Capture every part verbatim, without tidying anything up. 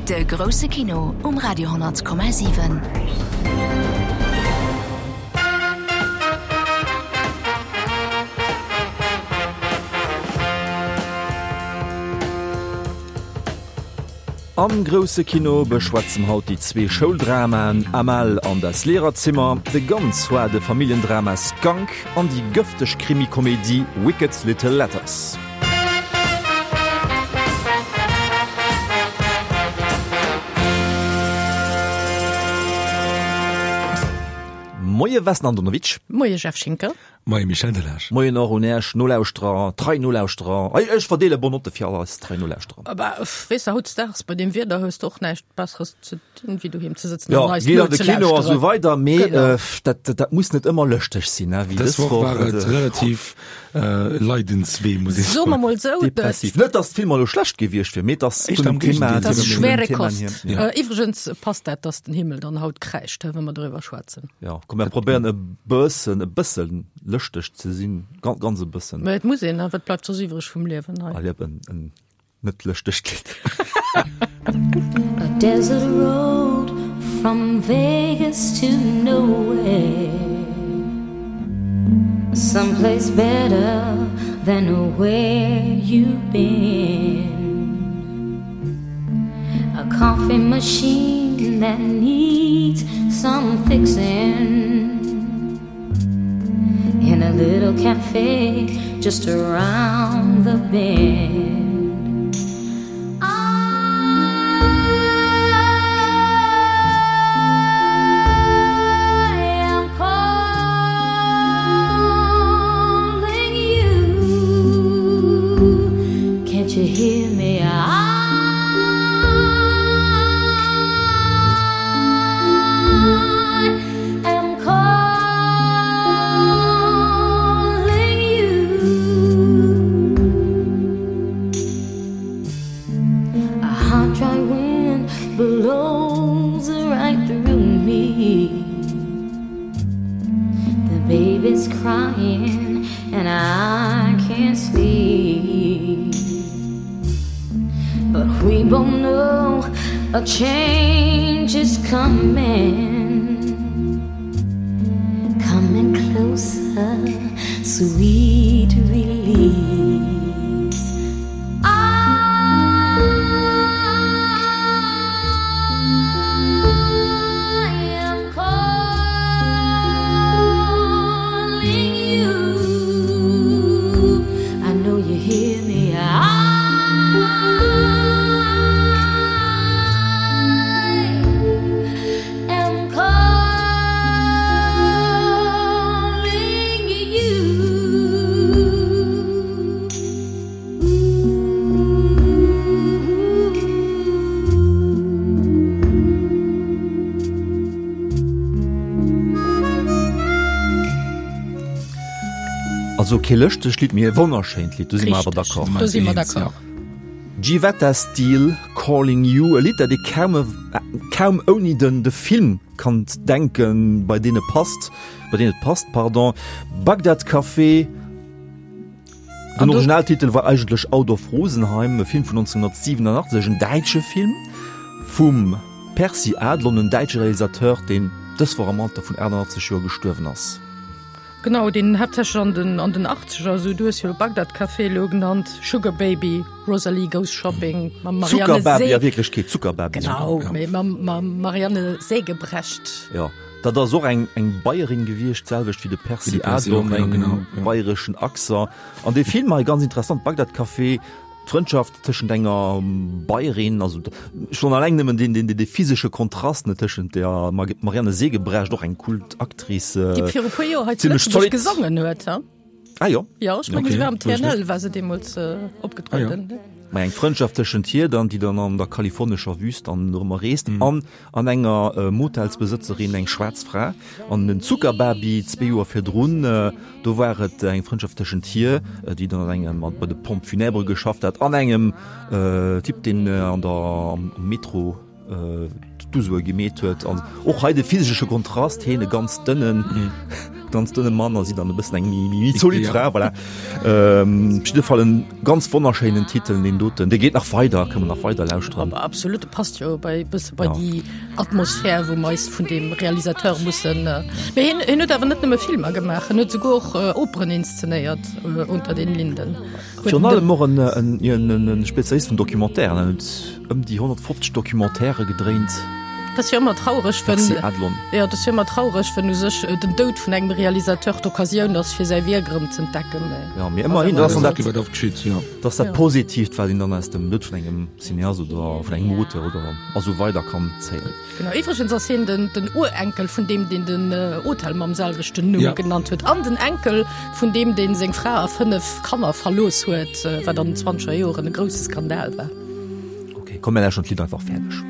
De grousse Kino um Radio honnert Komma siwen. Am grousse Kino beschwätze mer haut déi zwee Schouldramaen Amal an Das Lehrerzimmer, de ganz zoide Familljendrama Skunk an déi gëfteg Krimi-Komedie Wicked Little Letters. Moie Vesna Andonovic. Moie Jeff Schinker. Moie Michel Delage. Moien och un Äech Nolauschterer, trei Nolauschterer. Ech, ech verdeele Bonnotte fir all eis trei Nolauschterer. Bah, weess de, hautdesdaags bei deem Wieder hues de och näischt Besseres ze dinn, wéi doheem ze sëtzen Ja, an eis geet an de Kino a sou nozelauschteren. weider, mee Genau. äh, dat, dat muss net ëmmer lëschteg sinn, ne, wéi Dës dës Woch Woch. war et relativ äh, leidenswee, muss ech Soe mer soen. mol sou, Depressiv. Net, dass d'Filmer elo schlecht gewiescht wieren, mee dass Éischter vun am dem Thema, Géigendeel. dat ass vun den schwere Themen Kost. hier. Ja. Äh, iwwregens passt dat, dass den Himmel dann haut kräischt, wa mer doriwwer schwätzen. Ja, komm, mir probéieren e bëssen, e bëssen lëschteg ze sinn, ganz, ganz e bëssen. Mä et muss een, wat bleift soss iwwreg vum Liewen hei? Allez, en, en net lëschtegt Lidd. A desert road from Vegas to nowhere. Someplace better than where you've been. A coffee machine that needs some fixing. In a little cafe just around the bend. I am calling you. Can't you hear me? I am calling you. A hot, dry wind blows right through me. The baby's crying and I can't sleep. But we both know a change is coming. Coming closer, sweet release. I am calling you. I know you hear me. I am calling you. Also kee lëschtegt Lidd, mee e wonnerschéint Lidd, do si mer awer Richteg. d'accord. Do si mer Eens, d'accord. Jivetta Steele, Calling You, e Lidd, dat ee kaum, kaum ouni den de Film kann denken, bei deen e passt, bei deen et passt, pardon. Bagdad Café, den An do- Originaltitel war eigentlech Out of Rosenheim, e Film vun neunzehnhundertsiewenundachtzeg, en däitsche Film vum Percy Adlon, en däitsche Realisateur, deen dës Woch am Alter vun achtundachtzeg Joer gestuerwen ass. Genau, deen haaptsächlech an den, an den achtzeger, also du hues jo Bagdad Café elo genannt, Sugar Baby, Rosalie Goes Shopping mam Marianne Zuckerbaby, Se a Wierklechkeet Zuckerbaby. Genau, Ja. mee mam, mam Marianne Sägebrecht. Ja, dat ass och eng, eng Bayerin gewiescht, d'selwecht wéi de Percy Wéi de Percy Adlon, och, ja, eng genau, ja. bayreschen Accent. An dee Film hei, ganz interessant, Bagdad Café, d'Frëndschaft tëschent enger Bayerin, also schonn alleng nëmmen deen, deen, dee physesche Kontrast, ne, tëschent der Marianne Sägebrecht, och eng Kultactrice, Déi viru puer Joer hei zu zimmlech Lëtzebuerg zolidd. gesongen huet, ha? Ah jo. Jo, ech mengen, Okay, se war am wosst ech T N L, net. war se deemools opgetrueden. Ah jo. Ma eng Frëndschaft tëschent hir dann, déi dann an der kalifornescher Wüst dann dorëmmer reest, an an enger Motelsbesëtzerin, eng schwaarz Fra, an den Zuckerbaby zwee Joer virdrun, do war et eng Frëndschaft tëschent hir, déi dann an engem, bei de Pompes funèbres geschafft hat, an engem Typ, deen an der, am Metro d'Usue gemeet huet. An och hei de physesche Kontrast, hien e ganz dënnen, ganz dënne Mann a si dann e bëssen eng méi méi zolidd Fra, voilà. Ähm, op jidde Fall en ganz wonnerschéinen Titel, deen doten. Dee geet nach weider, kënne mer nach weider lauschteren. Aber absolut, de passt jo bei bësse bei Ja. déi Atmosphär, wou mer eis vun deem Realisateur mussen. Mee hien, hien huet awer net nëmme Filmer gemaach, en huet souguer och Operen inszenéiert, Unter den Linden. Huet Virun den allem och en, en, en, en Spezialist vun Documentairen, en huet ëm déi honnertfofzeg Documentairë gedréint. Dat ass jo ëmmer traureg, wenn, Merci Adlon. jo, dat ass jo ëmmer traureg, wenn u sech den Doud vun engem Realisateur d'Occasioun ass, fir säi Wierk erëm z'entdecken. Mee Ja, mee ëmmerhin, dat ass dann dat, Wat oft geschitt, jo. dat ass dat Positiivt, wat een dann aus dem Doud vun engem Cineast oder vun engem Auteur oder a sou weider kann zéien. Genau. Iwwregens ass hien den, den Urenkel vun deem, deen den Hotel mam selwechten Numm Ja. genannt huet, an den Enkel vun deem, deen seng Fra a fënnef Kanner verlooss huet, wat an den zwanzeger Joren e grousse Skandal war. Okay, komm, mir lauschteren d'Lidd einfach fäerdeg.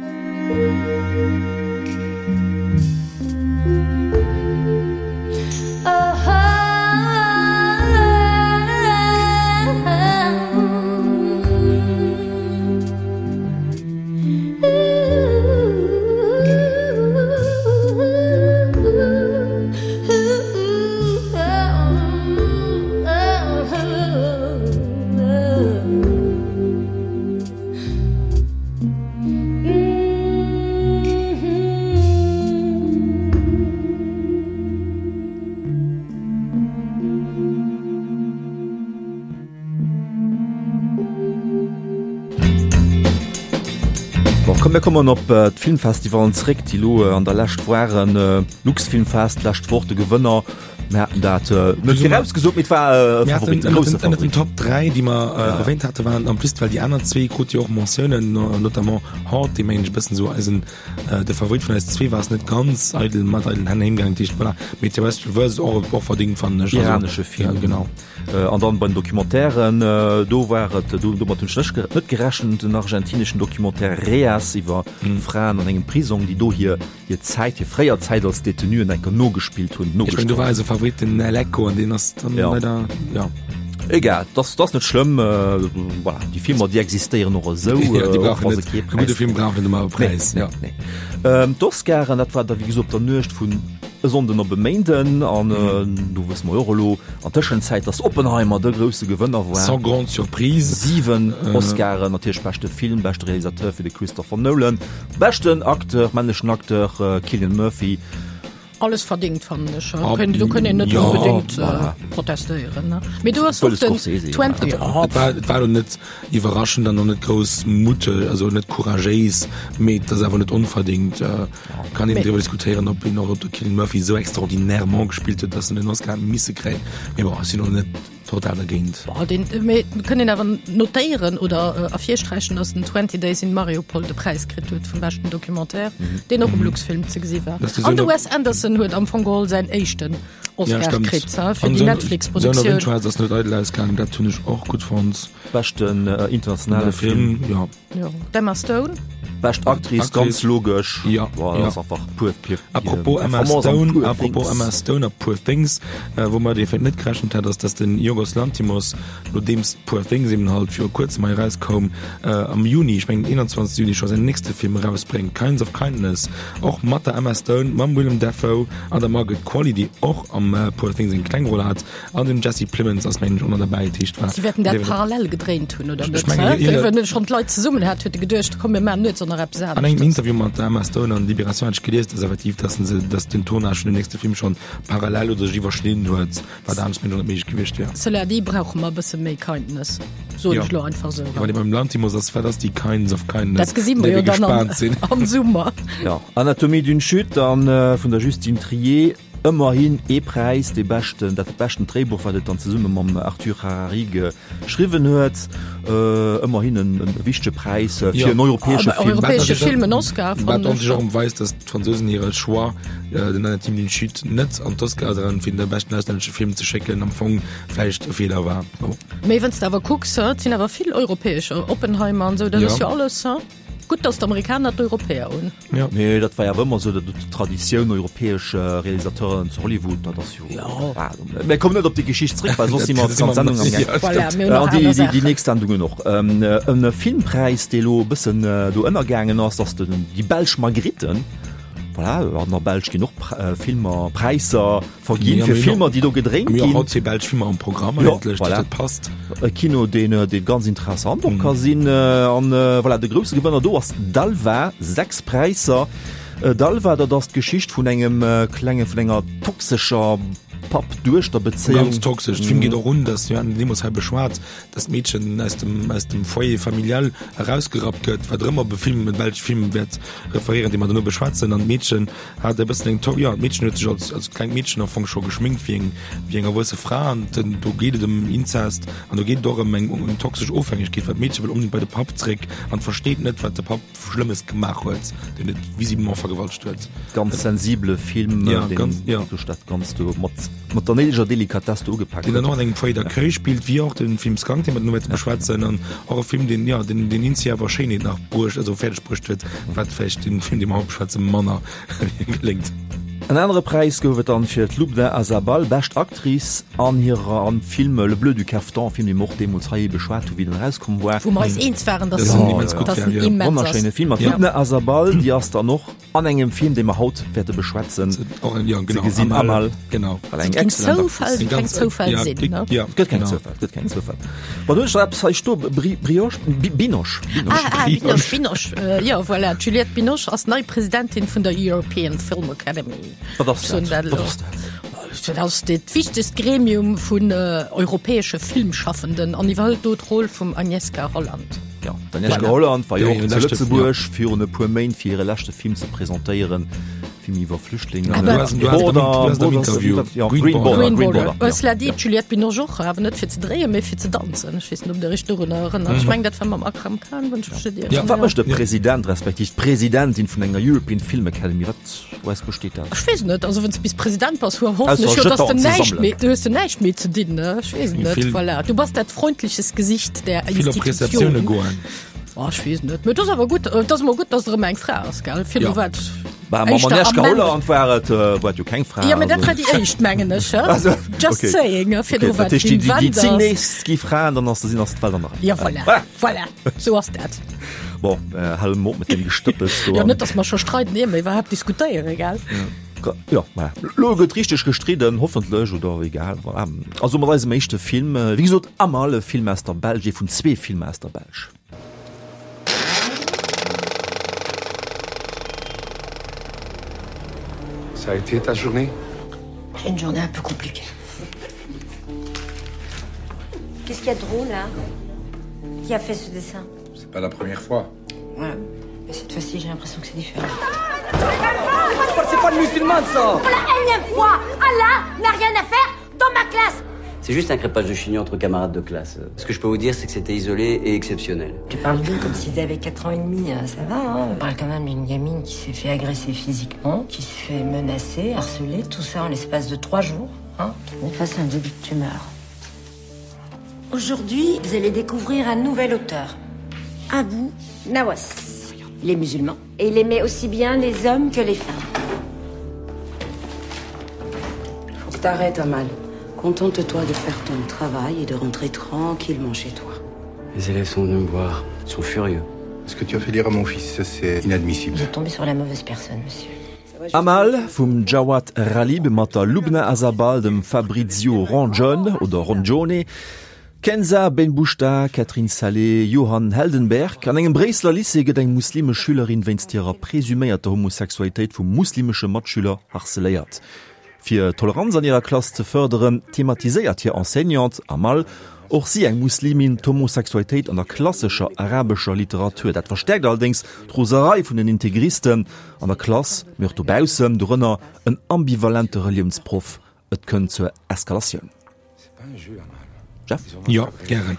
Bon, komm, mir kommen op äh, d'Filmfestivalen zréck, déi lo äh, an der Lescht waren. Äh, Luxfilmfest, d'lescht Woch de Gewënner. Mir haten dat äh, net virausgesot, mee et war äh, Mir haten Favorit, ënnert grousse den, ënnert den Favorit. Top dräi, déi mer äh, erwähnt hatte, waren en plus, well déi aner zwee krute jo och Mentiounen, no, notamment Hart, dee mengen ech e bëssen esou eisen äh, de Favorit vun eis zwee war es net ganz eidel mat eidelen Hänn heemgaangen, dat heescht, voilà. Mee Terrestrial Versus och, och verdingt, fannen ech. Also, Iranesche Film. Ja, genau. Äh, an dann bei den Documentairen, äh, do war et, do, domat hunn ech net net gerechent, den argentineschen Documentaire Reas iwwer mm. Fraen an engem Prisong, déi do hir hir Zäit, hir fréier Zäit als Detenuen enker nogespillt hunn, Ech mengen, do war nogestallt. eise Favorit den El Eco an deen ass dann Ja. leider, ja. Egal, das, das net schlëmm, äh, voilà, déi Filmer, déi existéieren och esou, Ja, déi äh, och brauchen wa se net, kee e gudde Präis Film brauch net ëmmer e Nee, Präis, nee, ja. nee. Ähm, d'Oscaren, dat war da wéi gesot op der Nuecht vun e Sonnden op e Méinden an äh, do wësse mer jo och elo an Tëschenzäit, dass Oppenheimer de grousse Gewënner war. Sans grande surprise. Siwen Äh. Oscaren, natierlech beschte Film, beschte Realisateur fir de Christopher Nolan, beschten Acteur, männlechen Acteur äh, Cillian Murphy. Alles verdingt, fannen ech. Ah, Kënnt, do kënnt een net ja, onbedéngt voilà. äh, protestéieren. Ne? Mee du hast Wëll och den Scorsese, ja. twenty, Ja, et war, et war lo net iwwerraschend an och net grouss mutte, also net couragéis, mee et ass awer net onverdingt. Äh, kann een Mee- driwwer diskutéieren, ob een och ob de Cillian Murphy esou extraordinairement gespillt huet, dass en den Oscar hätt misse kréien. Mee bon, ech sinn och net total dergéint. Boah, den, mee kënnt een awer notéieren oder äh, ervirsträichen, dass den twenty Days in Mariupol de Präis kritt huet vum beschten Documentaire, deen och um Luxfilm ze gesi war. Dass de An de Son of- Wes Anderson huet am Fong geholl säin éischten Ja, Oscar stimmt. kritt, ha, fir An déi Zone- Zone of Netflix-Produktioun. Interest ass net eidel ausgaangen, dat hunn ech och gutt fonnt. Beschten äh, internationale Der Film. Film, ja. Ja. D'Emma Stone. Bescht Actrice, Actrice. ganz logesch. Ja, Boah, ja. das ass einfach pur, pur, Apropos Emma Performance an Stone, Poor apropos Things. Emma Stone a Poor Things, äh, wou mer dee net gerechent hat, ass, dass den Yorgos Lanthimos, nodeems Poor Things eben halt viru kuerzem hei erauskoum, äh, am Juni, ech mengen einundzwanzegste Juni, scho säin nächste Film erausbréngt, Kinds of Kindness, och mat der Emma Stone, mam Willem Dafoe an der Margaret Qualley, déi och am äh, Poor Things eng kleng Roll hat, an dem Jesse Plemons ass mengen ech och nach derbäi, dat heescht, war Si wäerten dat dee- parallel gedréint hunn, oder Ech net, mengen, hä? jeder- Well wann schonn d'Leit zesummen hat, huet e geduecht, komm, mir maachen nuets och nach eppes An engem aneschters. Interview mat der Emma Stone an Libération hat ech gelies, dass effektiv, dass se, dass den Tournage vun dem nächste Film schon parallel oder sech iwwerschnidden huet, wat anescht mir net méiglech gewiescht wär. Cela dit, brauche mer e bësse méi Kindness. Soen Ja. ech lo einfach sou. Ja, wann ee beim Lanthimos ass, wat ass déi Kinds of Kindness? Dat gesi mer Där jo wir dann am, gespaant sinn. am Summer. Ja, Anatomie d'une chute an äh, vun der Justine Triet, ëmmerhin ee Präis, dee beschten, dat beschten Dréibuch, wat et dann zesumme mam Arthur Harari geschriwwen huet, äh, ëmmerhin en, en wichtege Präis äh, fir Ja. en europäesche Aber Film. europäesche Wat Film en Oscar, Wat fand ons ech. och weist, dass d'Fransousen hire Choix, äh, den Anatomie d'une chute net an d'Oscar fir de beschten auslännesche Film ze schécken, am Fong vläicht e Feeler war. Bon. Mee wann s de awer kucks, et sinn awer vill europäescher, Oppenheimer an sou, dat Ja. ass jo alles, hä? Gutt, dass d'Amerikaner d'Europäer hunn. Ja. Nee, dat war jo ëmmer sou, dat d'Traditioun europäesch Realisateuren zu Hollywood, dat ass jo. Ja. Ah, mir kommen net op déi Geschicht zréck, well soss si mer Dat d'ganz si mer- Sendung am Gaang. Ja, Voilà, stimmt. mir hunn nach An déi, aner déi, déi Saachen. nächst Sendungen och. Ähm, en Filmpräis, dee lo e bëssen do ënnergaangen ass, ass den, déi belsch Magritte. Voilà, an der Belsch ginn och Filmer, Präisser verginn fir Filmer, déi do gedréint ginn. Mir hu haut zwee belsch Filmer am Programm eigentlech, voilà. Dat passt. E Kino, deen, dee ganz interessant och ka sinn. An voilà, de grousse Gewënner do ass Dalva, sechs Präisser. Dalva, dat ass d'Geschicht vun engem klenge, vun enger toxescher Papp-Duechter-Bezéiung. Ganz toxesch. De Film geet och un, dass, mir haten den deemools hei beschwat, dass d'Meedchen aus dem, aus dem Foyer familial erausgerappt gëtt, wat erëm op e Film, e belsche Film wäert referéieren, dee mer duerno beschwätzen. An d'Meedchen hat e bëssen eng to-, jo, d'Meedchen huet sech als, als klengt Meedchen am Fong scho geschminkt wéi eng, wéi eng erwuesse Fra. An den, do geet et ëm Inzest an do geet et och ëm eng, eng toxesch Ofhängegkeet, well d'Meedche wëll onbedéngt bei de Papp zréck an versteet net, wat de Papp Schlëmmes gemaach huet, deen et visiblement vergewaltegt huet. Ganz sensibele Film, ja, deen ganz, ja. duerch dat Ganzt do mat, mat der néideger Delikatess do ugepak Deen huet. dann och an engem Foyer d'accueil spillt, wéi och den Film Skunk, deen mer duerno wäerte beschwätzen, an och e Film, deen, ja, deen, deen Inzi awer Schéinheet nach bruecht, also fäerdeg bruecht huet, wat vläicht den Film, dee mer haut beschwätzen, manner geléngt. En anere Präis gouf et dann fir d'Lubna Azabal, bescht Actrice an hirer am Film Le Bleu du Caftan, Film dee mer och deemools hei beschwat hu wéi den erauskomm war. Wou mer eis eens waren, dass Dass en immens gutt dass war, en jo. immens ass. Wonnerschéine Film. An Ja. d'Lubna Azabal, déi ass dann och an engem Film, dee mer haut wäerte beschwätzen, Och en, ja, ze genau, gesinn. Amal, Amal. genau. Voilà, eng Keng excellent Zoufall, Actrice. Eng keng ganz, Zoufall ja, sinn, déck, ne? ja, Et gëtt keng genau. Zoufall, et gëtt keng Zoufall. Bon, du hues eppes hei sto, Bri, Brioche, Bi, Binoche, Binoche. Ah, ah, Binoche, Binoche. Äh, ja, voilà. D'Juliette Binoche ass nei Presidentin vun der European Film Academy. Wat ass Soen dat? dat Wat elo. ass dat? Dat ass dat wichtegst Gremium vun äh, europäesche Filmschaffenden an iwwerhëlt do d'Roll vum Agnieszka Holland. Ja, d'Agnieszka Voilà. Holland war jo Ja, och hiren zu leschte- Lëtzebuerg virun e puer Méint fir hire leschte Film ze presentéieren, Film iwwer Flüchtlinge. Aber- Du hast- du hast Border, am- du hast am Border, Interview. ja, Green Green Border. Border, Green Green Border. Border, ja. Cela dit, d'Juliette Binoche och, awer net fir ze dréien, mee fir ze danzen. Ech weess net, ob der iech dorunner erënnert. Ech mengen, dat war mam Akram Khan, wann ech mech net Ja. ieren. Wat mécht de Ja. President respektiv d'Presidentin vun enger European Film Academy? Wat, woraus besteet dat? Ech weess net, also wann s du bis President bass, hu hoffen Ausser ech jo, dass du Jetons ze näischt sammelen. méi, du hues du näischt méi ze dinn, ne? Ech weess net, Vill- voilà. Du bass dat freundliches Gesicht der Vill op Receptioune Institution. goen. Oh, ech weess net. Mee dat ass awer gutt, dat ass emol gutt, dass et erëm eng Fra ass, gell? Virdru Ja. war et Bah, mam éischter Agnieszka am Männer. Holland war et, äh, war et jo keng Fra. Ja, mee dat also. war déi éischt, mengen ech, hä? Also, Just okay. saying, hä? Virdru Okay, war dat et heescht, déi, Wim déi, déi zéng Wenders. nächst gi Fraen, dann ass, sinn ass d'Welt an der Rei. Ja, voilà. Voilà. Voilà. Sou ass dat. Bon, äh, hale mer op mat deem Gestëppels do. Ja, net, dass mer scho streiden, ier mer iwwerhaapt diskutéieren, gell? Ja, voilà. Lo gëtt richteg gestridden, hoffentlech, oder egal, voilà. Also mat eisem éischte Film, wéi gesot, Amal, e Film aus der Belsch, ee vun zwee Filmer aus der Belsch. Ça a été ta journée? J'ai une journée un peu compliquée. Qu'est-ce qu'il y a de drôle là? Qui a fait ce dessin? C'est pas la première fois. Ouais. Mais cette fois-ci, j'ai l'impression que c'est différent. C'est pas de musulmane, ça Pour la énième fois, Allah n'a rien à faire dans ma classe. C'est juste un crêpage de chignon entre camarades de classe. Ce que je peux vous dire, c'est que c'était isolé et exceptionnel. Tu parles d'eux comme s'ils avaient quatre ans et demi, hein, ça va, hein. On parle quand même d'une gamine qui s'est fait agresser physiquement, qui se fait menacer, harceler, tout ça en l'espace de trois jours, hein. On est face à un début de tumeur. Aujourd'hui, vous allez découvrir un nouvel auteur, Abou Nawas. Il est musulman et il aimait aussi bien les hommes que les femmes. Faut que t'arrêtes, Amal. Contente-toi de faire ton travail et de rentrer tranquillement chez toi. Les élèves sont venus me voir. Ils sont furieux. Ce que tu as fait lire à mon fils, ça, c'est inadmissible. Vous êtes tombé sur la mauvaise personne, monsieur. Amal vum Jawad Rhalib mat der Lubna Azabal, dem Fabrizio Rongione oder Rongione, Kenza Benbouchta, Catherine Salé, Johan Heldenberg. An engem Bréisseler Lycée gëtt eng muslimesch Schülerin wéinst hirer presuméierter Homosexualitéit vum muslimesche Matschüler harceléiert. Fir Toleranz an hirer Klass ze fërderen, thematiséiert hir Enseignante Amal, och si eng Muslimin, d'Homosexualitéit an der klassescher arabescher Literatur. Dat verstäerkt allerdéngs d'Roserei vun den Integristen an der Klass, mee och dobaussen, dorënner en ambivalente Reliounsproff. Et kënnt zur Eskalatioun. Jeff? Jo, gären.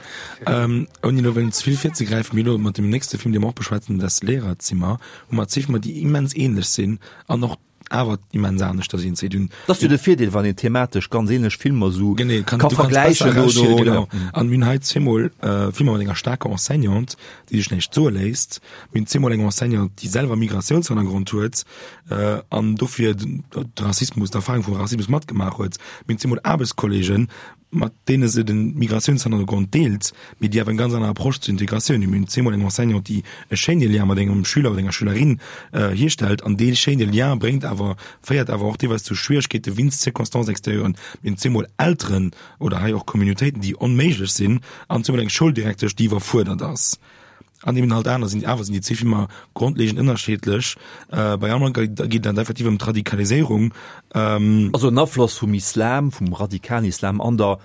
Ouni elo wëllen ze vill virzegräifen, mee elo mat deem nächste Film, dee mer och beschwätzen, Das Lehrerzimmer, hu mer zwee Filmer, déi immens ähnlech sinn an och awer immens aneschter sinn. Si hunn Dat ass jo de Virdeel, wann een thematesch ganz ähnlech Filmer esou Genee, kann, ka du kanns besser vergläichen erauschielen, oder, genau. oder. An mir hunn hei zweemol Filmer mat enger staarker Enseignante, déi sech näischt soe léisst. Mir hunn zweemol eng Enseignante, déi selwer Migratiounshannergrond huet an dofir de Rassismus, d'Erfahrung vum Rassismus matgemaach huet. Mir hunn zweemol Aarbechtskolleegen, mat deene se den Migratiounshannergrond deelt, mee déi awer eng ganz aner Approche zur Integratioun hunn. Mir hunn zweemol eng Enseignante, déi e schéine Lien mat engem Schüler oder enger Schülerin hierstellt an dee schéine Lien bréngt awer, féiert awer och deelweis zu Schwieregkeete wéinst Circonstances extérieuren. Mir hunn zweemol Elteren oder hei och Communautéiten, déi onméiglech sinn an zweemol eng Schouldirektesch, déi iwwerfuerdert ass. An eben halt aner sinn, awer sinn déi zwee Filmer grondlegend ënnerscheedlech. Bei Amran geet et effektiv ëm d'Radikaliséierung. Also en Afloss vum Islam, vum radikalen Islam an der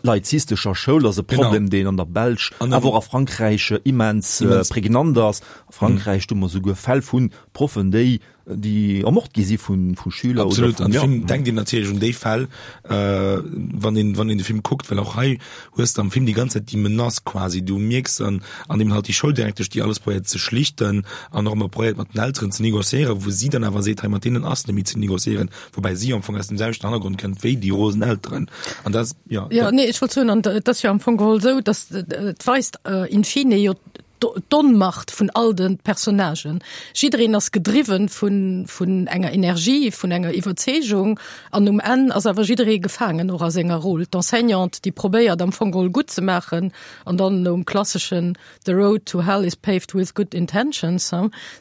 laizistescher Schoul ass e Problem, deen an der Belsch, awer och a Frankräich immens prägnant ass. A Frankräich, do hu mer souguer Fäll vu Proffen, déi déi ermort gi si vu vu Schüler oder Absolut, an de Film denkt een natierlech un déi Fäll, wann een wann een de Film kuckt, well och hei hues de am Film déi ganz Zäit déi Menace quasi, du mierks an an deem halt déi Schouldirektesch, déi alles probéiert ze schlichten an och ëmmer probéiert mat den Elteren ze négociéieren, wou si dann awer seet, hei mat deenen ass net méi ze négociéieren, woubäi si am Fong aus dem selwechten Hannergrond kënnt wéi déi rosen Elteren an dat, jo. Jo, nee, ech wollt soen, an et ass jo am Fong geholl esou, datt et weist in fine jo d'Onmacht vun all de Personnagen. Jiddereen ass gedriwwen vun, vun enger Energie, vun enger Iwwerzeegung an um Enn ass awer jidderee gefaangen och a senger Roll. D'Enseignante, déi probéiert am Fong geholl gutt ze maachen an dann nom klasseschen The road to hell is paved with good intentions,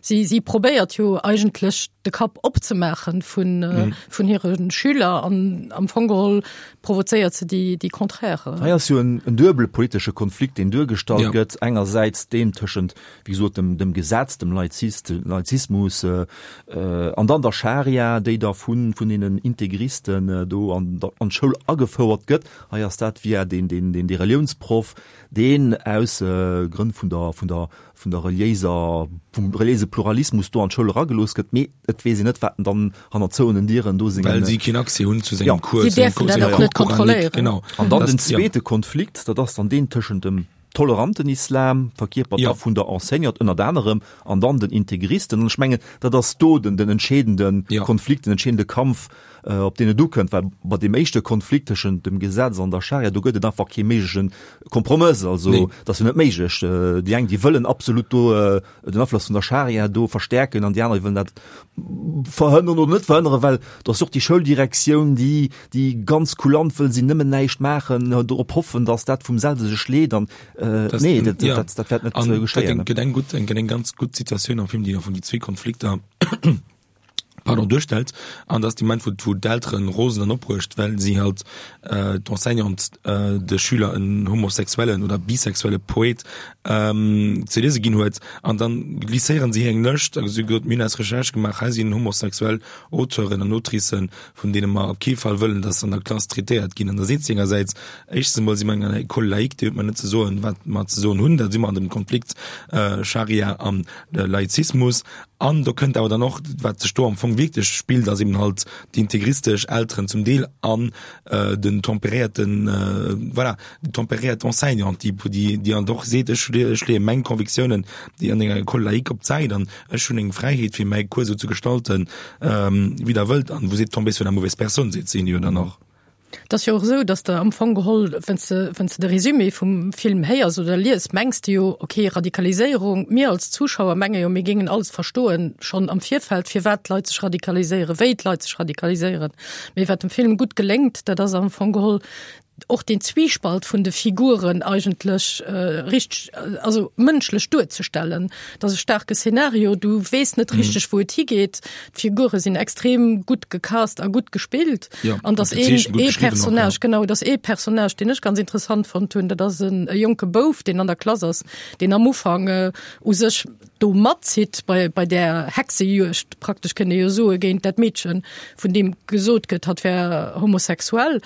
si, si probéiert jo eigentlech de Kapp opzemaachen vun, vun hire Schüler an am Fong geholl provozéiert se déi, déi Contraire. Hei ass jo en, en duebele politesche Konflikt, deen duergestallt ja. gëtt. Engersäits deen tëschent, wéi gesot, dem, dem Gesetz, dem Laizist, Laizismus äh, an dann der Scharia, déi da vun, vun deenen Integristen äh, do an, an d'Schoul agefouert gëtt. Hei ass dat via den, den, den, de Reliounsproff, deen aus äh, Grënn vun der, vun der, vun der reliéiser, vum reliéise Pluralismus do an d'Schoul eragelooss gëtt, mee et weess een net, wat en dann hanner zouenen Dieren do sengen. Well si keen Accès hunn zu sengem Ja. Cours, Si zu sengem däerfen Cours, dat senger och net Cours coranique, kontrolléieren. genau. An dann Das, den ja. zweete Konflikt, dat ass dann deen tëschent dem toleranten Islam, verkierpert Ja. da vun der Enseignante ënnert anerem, an dann den Integristen. An ech mengen, dat ass do den, den entscheedende Ja. Konflikt, den entscheedende Kampf, op deen et ukënnt, well bei deem éischte Konflikt tëschent dem Gesetz an der Scharia, do gëtt et einfach kee méigleche Kompromëss. Also Nee. dat ass jo net méiglech. Déi eng, déi wëllen absolut do den Afloss vun der Scharia do verstärken an déi aner, déi wëllen dat verhënnern oder net verhënnern, well do ass och déi Schouldirektioun, déi, déi ganz kulant wëll sinn, nëmmen näischt maachen, dorop hoffen, datt dat vum selwe sech leet an Das, nee, dat, ja. dat, dat wäert net An geschéien. dat gëtt eng gutt, eng, eng ganz gutt Situatioun am Film, déi am Fong déi zwee Konflikter pardon, duerstellt, an dass de Moment, wou, wou d'Elteren rosen an opbruecht, well si halt äh, d'Enseignante äh, de Schüler en homosexuellen oder bisexuelle Poet ähm, ze liese ginn huet, an dann glisséieren si eng Lëscht, also si huet, mir hunn eis Recherche gemaach, hei sinn homosexuell Auteuren an Autricen, vun deene mer op kee Fall wëllen, dass se an der Klass traitéiert ginn. An da seet si engersäits, éischtens emol si mer eng École laïque, déi huet mer net ze soen, wat mer ze soen hunn, da si mer an dem Konflikt äh, Scharia an äh, Laizismus. An do kënnt awer dann och, wat sech do am Fong wierklech spillt, ass eben halt déi integristesch Elteren zum Deel an den temperéierten, voilà, déi temperéiert Enseignante, déi, déi dann och seet, ech, ech leeë meng Convictiounen, déi an enger École laïque op d'Säit an ech hunn eng Fräiheet fir mäi Cours esou ze gestalten, wéi Der wëllt. An vous êtes tombé sur la mauvaise personne, seet si jo dann och. Et ass jo och esou, dass de am Fong geholl, wann s de, wann s de de Résumé vum Film héiers oder lies, mengs de jo, okay, Radikaliséierung, mir als Zuschauer menge jo, mir géingen alles verstoen, schonn am Virfeld, firwat d'Leit sech radikaliséieren, wéi d'Leit sech radikaliséieren. Mee wat dem Film gutt geléngt, dat ass am Fong geholl, och den Zwiespalt vun de Figuren eigentlech richteg, also mënschlech duerzestellen. Dat ass e staarke Szenario, du weess net richteg, wou et higeet. D'Figure sinn extrem gutt gecast a gutt gespillt. Ja, an dass gutt een gezeechent, gutt ee geschriwwen och, ja. Personnage, genau, dass ee Personnage, deen ech ganz interessant fonnt hunn, dat ass en e jonke Bouf, deen an der Klass ass, deen am Ufank u sech do matzitt bei, bei där Hexejuegd, praktesch kënnt ee jo soe, géint dat Meedchen, vun deem gesot gëtt, hatt wär homosexuell,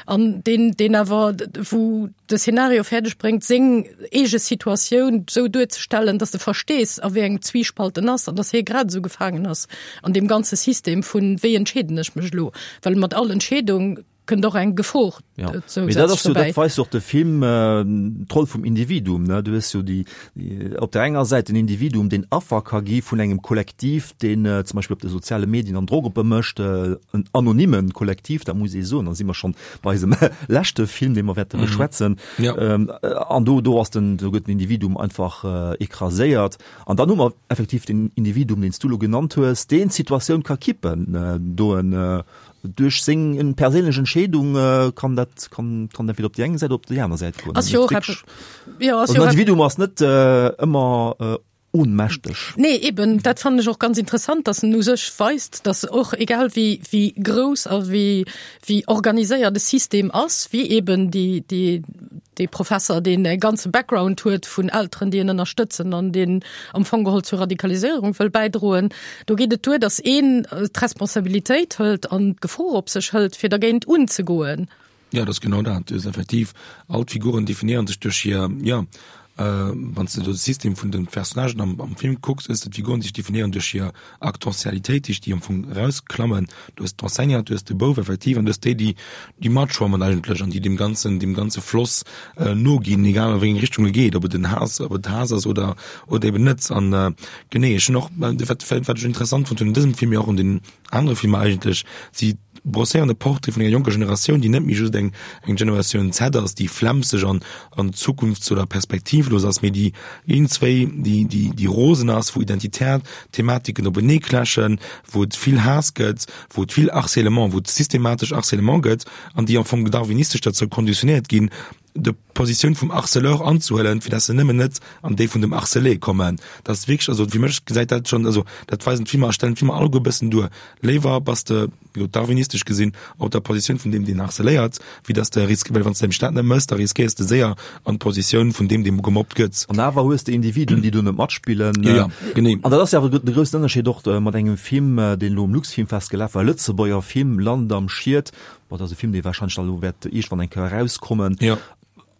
an deen, deen awer, wou de Szenario fäerdeg bréngt, seng eege Situatioun esou duerzestellen, dass de verstees, a wéi engem Zwiespalt en ass an dass hie grad esou gefaangen ass an deem ganze System vun, wéi entscheeden ech mech elo, well mat all Entscheedung kënnt och eng Gefor Ja. Mee dat zousätzlech ass jo, dobäi. dat weist jo och de Film, d'Roll vum Individuum, ne? Du hues jo déi, déi op der enger Säit den Individuum, deen Affer ka gi vun engem Kollektiv, deen zum Beispill op de soziale Medien an Drock op e mécht, en anonymen Kollektiv, dat muss ee soen, da si mer schonn bei eisem leschte Film, dee mer wäerte beschwätzen. Ja. An do, do ass den, do gëtt den Individuum einfach écraséiert. An dann hu mer effektiv den Individuum, deen s du elo genannt hues, deen d'Situatioun ka kippen, do en, duerch seng perséinlech Entscheedung äh, kann dat kann kann entweder op déi eng Säit oder op déi aner Säit goen. Ass jo och Wirklich- eppes- jo, ass Also jo en och Individuum ass net äh, ëmmer äh, ohnmächteg. Nee, eben, dat fannen ech och ganz interessant, dass en u sech weist, dass och egal wéi wéi grouss a wéi wéi organiséiert de System ass, wéi eben déi déi dee Professer, deen e ganze Background huet vun Elteren, déi en ënnerstëtzen an deen am Fong geholl zur Radikaliséierung wëll bäidroen, do geet et duer, dass een d'Responsabilitéit hëlt an d'Gefor op sech hëlt, fir dergéint unzegoen. Ja, dat ass genau dat. Du hues effektiv, all d'Figuren definéieren sech duerch hir, ja, wann s de do de System vun de Personnagen am, am Film kucks, hues de d'Figuren, déi sech definéieren duerch hir Aktentialitéit, déi déi am Fong erausklammen. Du hues d'Enseignante, du hues de Bouf effektiv an du hues déi, déi, déi matschwammen eigentlech an déi deem ganzen, deem ganze Floss noginn, egal a wéi eng Richtung e geet, ob et en Haass, ob et Haass ass oder, oder eben net. An genee, ech hunn och, wat, wat ech interessant fonnt hunn un dësem Film, mee och un den anere Filmer eigentlech, si brosséieren e Portrait vun enger jonker Generatioun, déi net méi just eng eng Generatioun Z ass, déi flemmseg an an zukunfts oder perspektivlos ass, mee déi iergendzwéi déi déi déi rosen ass, wou identitär Thematiken openee clashen, wou et vill Haass gëtt, wou et vill Harcèlement, wou et systematesch Harcèlement gëtt an déi am Fong darwinistesch derzou konditionéiert ginn, de Positioun vum Harceleur anzehuelen, fir dass se nëmmen net an déi vun dem Harcelé kommen. Dat ass wierklech, also fir mech gesäit dat schonn, also dat weisen d'Filmer a stellen d'Filmer alleguer e bëssen duer. Léiwer bass de, jo darwinistesch gesinn, op der Positioun vun deem, deen harceléiert, wéi dass de risk, well wann s de nämlech dat net méchs, da riskéiers de séier an d'Positioun vun deem, deem gemobbt gëtt. An awer hues de Individuen, déi do net matspillen. Jo, jo, genee. An dat ass jo awer de groussen Ënnerscheed och mat engem Film, deen elo um Luxfilmfest gelaf war, e Lëtzebuerger Film, Land am Schiet. Bon, dat ass e Film, dee warscheinlech da elo wäert iergendwann eng Kéier erauskommen. Jo.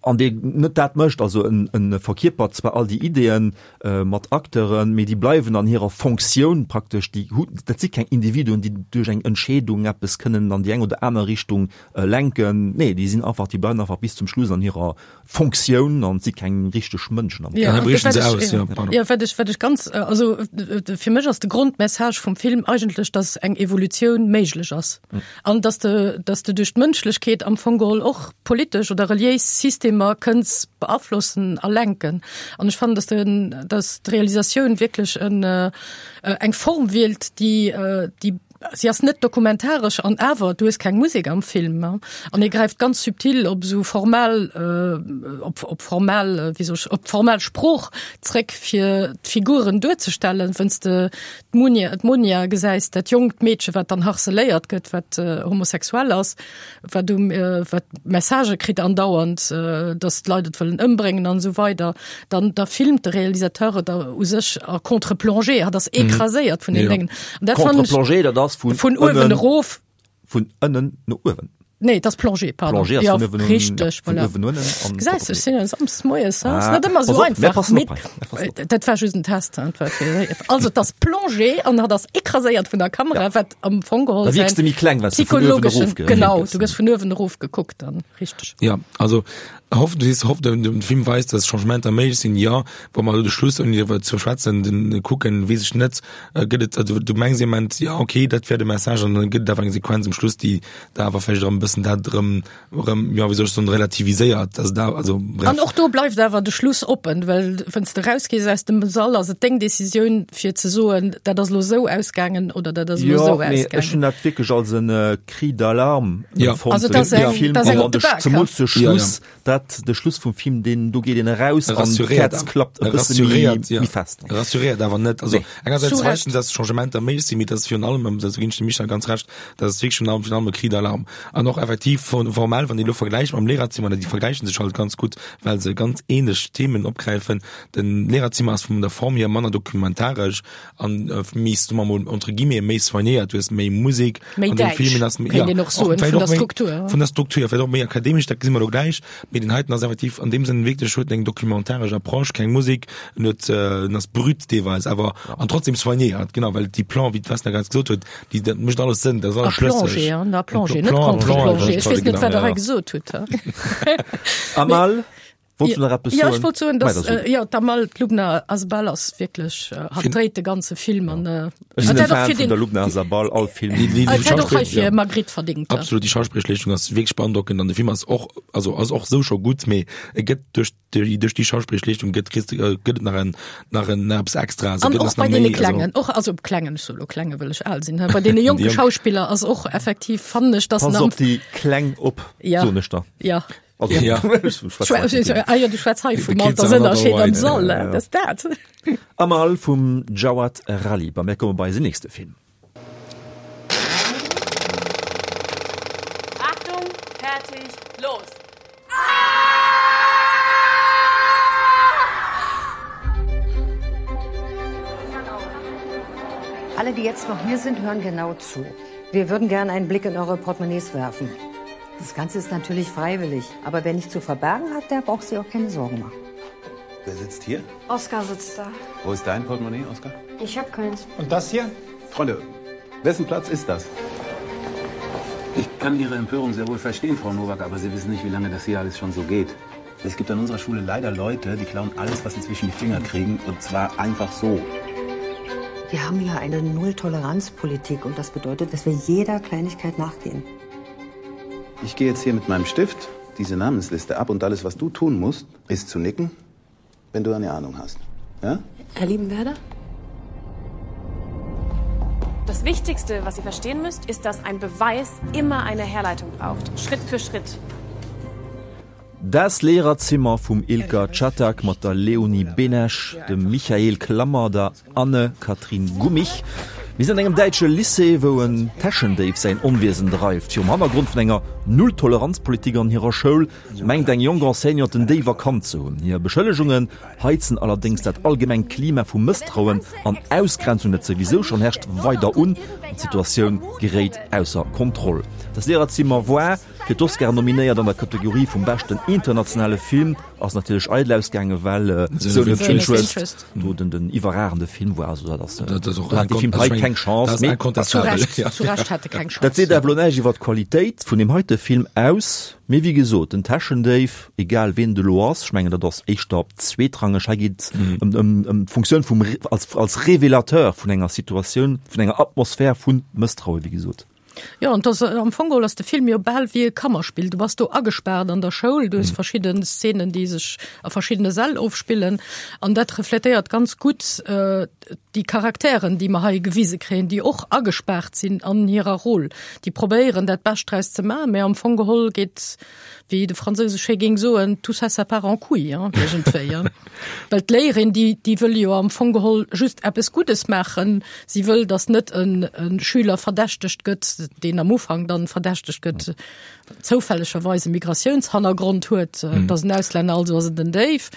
An dee net dat mécht, also en, en verkierpert zwar all déi Ideeën mat Acteuren, mee déi bleiwen an hirer Fonctioun praktesch, déi hu, dat si keng Individuen, déi duerch eng Entscheedung eppes kënnen an déi eng oder aner Richtung lenken. Nee, déi sinn einfach, déi bleiwen einfach bis zum Schluss an hirer Fonctioun an si keng richteg Mënschen am Ja, Dann briechen wat se ech, aus, ja, pardon. ja, wat ech, wat ech ganz, also fir mech ass de Grondmessage vum Film eigentlech, dass eng Evolutioun méiglech ass an dass de, dass de duerch d'Mënschlechkeet am Fong geholl och politesch oder reliéis Systemer kënns beaflossen a lenken. An ech fannen, dass den, dass d'Realisatioun wierklech en, eng Form wielt, déi, déi Si ass net dokumentaresch an awer, du hues keng Musek am Film an e gräift ganz subtil op esou formal, op op formal, wéi soll ech, op formal Sprooch zréck fir d'Figuren duerzestellen. Wenn's de d'Munia, d'Monia gesäis, dat jonkt Meedche wat dann harceléiert gëtt, wat homosexuell ass, wat um wat Messagë kritt andauernd, datt d'Leit et wëllen ëmbréngen an esou weider, dann da filmt de Realisateur et u sech a contre-plongée, hat ass écraséiert vun den Déngen. An dat fannen ech. Contre-plongée, dat ass vun vun uewen ënnen erof. Vun ënnen no uewen. Nee, dat ass Plongée, pardon. Plongée ass Ja, vun uewen un, richteg, ja, vun voilà. uewen unnen an Gesäis du, ech sinn e Samsdes moies, hein, ass Ah, net ëmmer pass esou op, mir einfach. passen Mee op hei, mir passen op. dat war just en Test, hein, dat war fir, also et ass Plongée an hat ass écraséiert vun der Kamera, Ja. wat am Fong geholl Da wierks säin de méi kleng, well s de vun uewen psychologeschen, erof ge- genau, gëss. du gëss vun uewen erof gekuckt dann, richteg. Ja, also hoff, du sees, hoff, den, den Film weist, dass Changementer méiglech sinn, jo, wa mer elo de Schluss, ouni driwwer ze schwätzen, den kucken, weess ech net, gëtt et, also du mengs ee Moment, jo, okay, dat wär de Message, an dann gëtt et awer eng Sequenz um Schluss, déi da awer vläicht erëm e bëssen dat erëm, erëm, jo, wéi soll ech soen, relativiséiert, also da, also bref. An och do bleift awer de Schluss oppen, well wann s de rausgees aus dem Sall, ass et deng Decisioun, fir ze soen, dat ass elo esou ausgaangen oder dat ass elo Jo, esou mee ech ausgaangen. hunn dat wierklech als en Cri d'alarme Ja. empfonnt, Also dat ass den eng, Film, dat ass an eng op de de Bak, zemools de Ja, ja. Schluss, dat de Schluss vum Film, deen do geet een eraus an Rassuréiert d'Häerz awer. klappt e bësse méi Rassuréiert, ja. méi fest. Rassuréiert awer net. Also Nee. engersäits Zu weist Recht. en, dass Changementer méiglech sinn, mee dass virun allem, do ginn ech dem Michel ganz Recht, dass et wierklech virun allem, virun allem e Cri d'alarme. An och effektiv von, formell, wann een elo vergläicht mam Lehrerzimmer, déi vergläichen sech halt ganz gutt, well se ganz ähnlech Themen opgräifen. Den Lehrerzimmer ass vun der Form hier manner dokumentaresch an méi, soe mer mol, entre guillemets, méi soignéiert. Du hues méi Musek Méi an dem däitsch, Film, ass, kéint ja, een och soen, och vläicht vun der och méi, Struktur. Vun der Struktur, vläicht och méi akademesch, dat gesi mer elo gläich. Mee den heiten ass effektiv an deem Sënn wierklech, huet eng dokumentaresch Approche, keng Musek, en huet, en ass brut deelweis, awer an trotzdem soignéiert, genau, well déi Plan, wéi d'Vesna grad gesot huet, déi, dat mécht alles Sënn, dat ass A alles schlësseg. Plongée, an a Plongée, net Plan, Contre-plongée. Plan, Ech weess net, genau, wat Der ja. hei gesot hutt. Amal Wollts du nach eppes Ja, soen? ech wollt soen, Mei, dass, da so. äh, ja, d'Amal, d'Lubna Azabal ass wierklech, äh, hat dréit de ganze Film an, äh, Ech sinn hat e dat och Fan fir vun den der Lubna Azabal, all Film. Déi, déi, déi hat och hei Schauspill, fir ja. Magritte verdingt. Absolut, déi Schauspillleeschtung ass wierklech beandrockend an de Film ass och, also ass och sou scho gutt, mee e gëtt duerch déi, duerch déi Schauspillleeschtung gëtt, kriss de, gëtt et nach en, nach en, nach eppes extra, also An gëtt och es nach bei deene méi, also Klengen, och, also Klengen, ech soe lo Klengen, wëll ech al sinn, bei deene jonke Déi jonk. Schauspiller ass och effektiv, fannen ech, dass Pass en am op déi Kleng op, Ja. soen ech der. Ja. Also, Ja. Ah jo, du schwätz hei vum The kids are not Altersënnerscheed am alright. Sall, Ja, ja. dat ass dat. Amal vum Jawad Rhalib. A mir komme bei eisen nächste Film. Achtung, fertig, los! Alle, die jetzt noch hier sind, hören genau zu. Wir würden gerne einen Blick in eure Portemonnaies werfen. Das Ganze ist natürlich freiwillig, aber wer nichts zu verbergen hat, der braucht sich auch keine Sorgen machen. Wer sitzt hier? Oskar sitzt da. Wo ist dein Portemonnaie, Oskar? Ich hab keins. Und das hier? Freunde, wessen Platz ist das? Ich kann Ihre Empörung sehr wohl verstehen, Frau Nowak, aber Sie wissen nicht, wie lange das hier alles schon so geht. Es gibt an unserer Schule leider Leute, die klauen alles, was sie zwischen die Finger kriegen, und zwar einfach so. Wir haben hier eine Null-Toleranz-Politik und das bedeutet, dass wir jeder Kleinigkeit nachgehen. Ich gehe jetzt hier mit meinem Stift diese Namensliste ab und alles, was du tun musst, ist zu nicken, wenn du eine Ahnung hast. Ja? Herr Liebenwerder? Das Wichtigste, was ihr verstehen müsst, ist, dass ein Beweis immer eine Herleitung braucht. Schritt für Schritt. Das Lehrerzimmer vum Ilker Çatak mat der Leonie Benesch, dem Michael Klammer, der Anne-Kathrin Gummich. Mir sinn an engem däitsche Lycée, wou en Täschendéif säin Onwiesen dreift. Virum Hannergrond vun enger Null-Toleranz-Politik an hirer Schoul mengt eng jonk Enseignante den Déif erkannt ze hunn. Hir Beschëllegunge heizen allerdéngs dat allgemengt Klima vu Mësstrauen an Ausgrenzung, dat souwisou schonn herrscht, weider un an d'Situatioun geréit ausser Kontroll. Das Lehrerzimmer war fir d'Oscaren nominéiert an der Kategorie vum beschten internationale Film, ass natierlech eidel ausgaangen, well Zone of Interest do den den iwwerragende Film war. Also dat ass, Dat ass och do hat de Film hei keng Chance. Dat ass Mee incontestabel. Zu Recht, zu Recht hat e keng Chance. Dat seet awer elo näischt iwwer d'Qualitéit vun deem heite Film aus. Mee wéi gesot, den Täschendéif, egal wien et elo ass, ech mengen dat ass éischter zweetrangeg, hei geet et ëm ëm ëm d'Funktioun vum als als Revelateur vun enger Situatioun, vun enger Atmosphär vu Mësstraue, wéi gesot. Jo, an dass, am Fong geholl ass de Film jo bal wéi e Kammerspill. Du bass do agespaart an der Schoul, du hues verschidden Szenen, déi sech a verschiddene Säll ofspillen. An dat refletéiert ganz gutt déi Charakteren, déi mer hei gewise kréien, déi och agespaart sinn an hirer Roll. Déi probéieren, dat Bescht draus ze maachen, mä am Fong geholl geet, wéi de Fransouse schéi géing soen, tout ça, ça part en couille, hein, iergendwéi, hein. Well d'Léierin, déi, déi wëll jo am Fong geholl just eppes Guddes maachen. Si wëll, dass net en, en Schüler verdächtegt gëtt, deen am Ufank dann verdächtegt gëtt, zoufällegerweis e Migratiounshannergrond huet, dass en Auslänner, also ass et en Déif.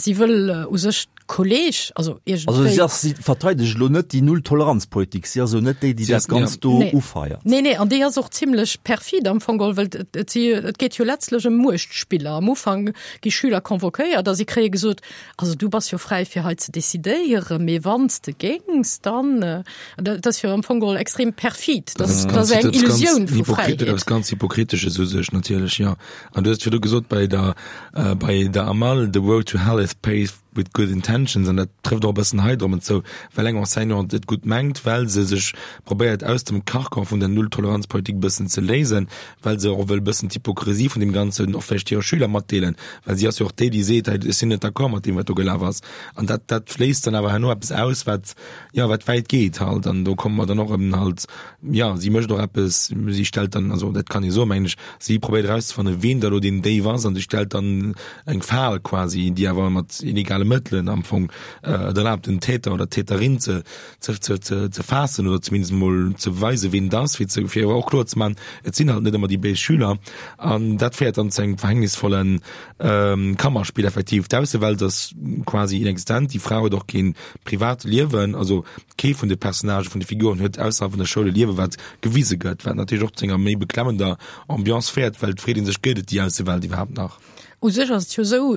Si wëll u sech d'Kolleg, also Also si iergendwéi. ass, si verteidegt elo net déi Null-Toleranz-Politik, si ass elo net déi, déi Si dat ass, Ganzt ja. do Nee. ufeiert. Nee, nee, an déi ass och zimlech perfid am Fong geholl, well et, et, si, et geet jo letztlech ëm Muechtspiller. Am Ufank gi Schüler convoquéiert a si kréie gesot, also du bass jo fräi fir hei ze decidéieren, mee wann s de géings, dann, an dat ass jo am Fong geholl extrem perfid. Dat ass Dat ganz, ass eng dat ass ganz Illusioun vu hypokrit, dat Fräiheet. ass ganz hypokritesches u sech natierlech, jo. An du hues virdu gesot bei der, äh, bei der Amal, the road to hell is paved with good intentions, an dat trëfft och e bëssen hei drop zou, well eng Enseignante et gutt mengt, well se sech probéiert aus dem Karkan vun der Null-Toleranz-Politik e bëssen ze léisen, well se och wëll e bëssen d'Hypokrisie vun deem Ganzen och vläicht hire Schüler matdeelen, well si ass jo och déi, déi seet, hei, ech sinn net d'accord mat deem, wat do gelaf ass. An dat, dat léist dann awer herno eppes aus, wat, ja, wat wäit geet halt. An do komme mer dann och ëm halt, ja, si mécht och eppes, si stellt dann, also dat kann ee soen, mengen ech, si probéiert erauszefannen, ween da lo deen Déif ass, an si stellt dann eng Fal quasi, déi awer mat illegale Mëttelen am Fong äh, et erlaabt, den Täter oder d'Täterin ze, ze, ze, ze, ze faassen oder zumindest mol ze weisen, ween et ass, fir ze, fir awer och kloer ze maachen, et sinn halt net ëmmer déi béis Schüler. An dat féiert dann zu engem verhängnisvollen ähm, Kammerspiel effektiv. D'Aussewelt ass quasi inexistent, déi Fra huet och keen privat Liewen, also kee vun de Personnagë, vun de Figuren huet ausserhalb vun der Schoul e Liewen, wat gewise gëtt, wat natierlech och zu enger méi beklemmender Ambiance féiert, well et freet ee sech, gëtt et déi Aussewelt iwwerhaapt nach? U sech ass et jo esou,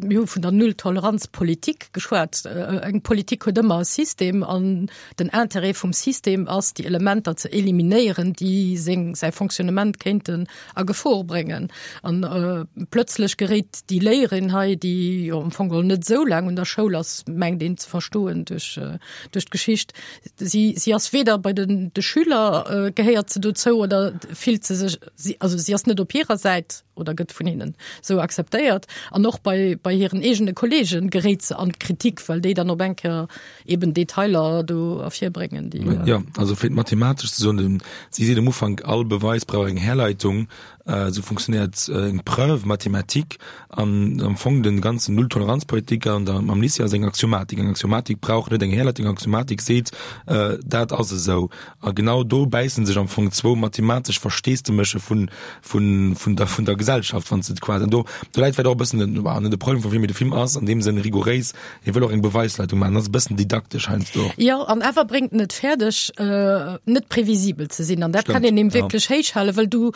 mir hu vun der Null-Toleranz-Politik geschwat. Eng Politik huet ëmmer e System an den Interêt vum System ass, déi Elementer ze eliminéieren, déi seng, säi Fonctionnement kéinten a Gefor bréngen. An plötzlech geréit déi Léierin hei, déi jo am Fong geholl net esou laang un der Schoul ass, mengt een ze verstoen duerch, duerch d'Geschicht, si, si ass weder bei den, de Schüler gehéiert se dozou oder fillt se sech, si, also si ass net op hirer Säit, oder gëtt vun hinnen sou akzeptéiert an och bei, bei hiren eegene Kollegen geréit se an d'Kritik, well déi dann op eng Kéier eben Detailer do ervirbréngen, déi. Jo, also fir et mathematesch ze soen, den, si seet am Ufank, all Beweis brauch eng Herleitung, esou funktionéiert eng Preuve mathématique an am Fong den ganzen Nulltoleranzpolitik an der am Lycée ass eng Axiomatik. Eng Axiomatik brauch net eng Herleitung, eng Axiomatik seet, dat ass esou. A genau do bäisse sech am Fong zwou mathematesch Versteesdeméche vun, vun, vun der, vun der Gesellschaft, wann s de et quasi, an do, do läit vläicht och e bëssen den, bah, net de Problem vum Film, mee de Film ass an deem Sënn rigouréis, hie wëll och eng Beweisleitung maachen, ass e bëssen didaktesch heiansdo och. Jo, an awer bréngt en et fäerdeg, net previsibel ze sinn, an dat kann een him wierklech héichhalen, well du,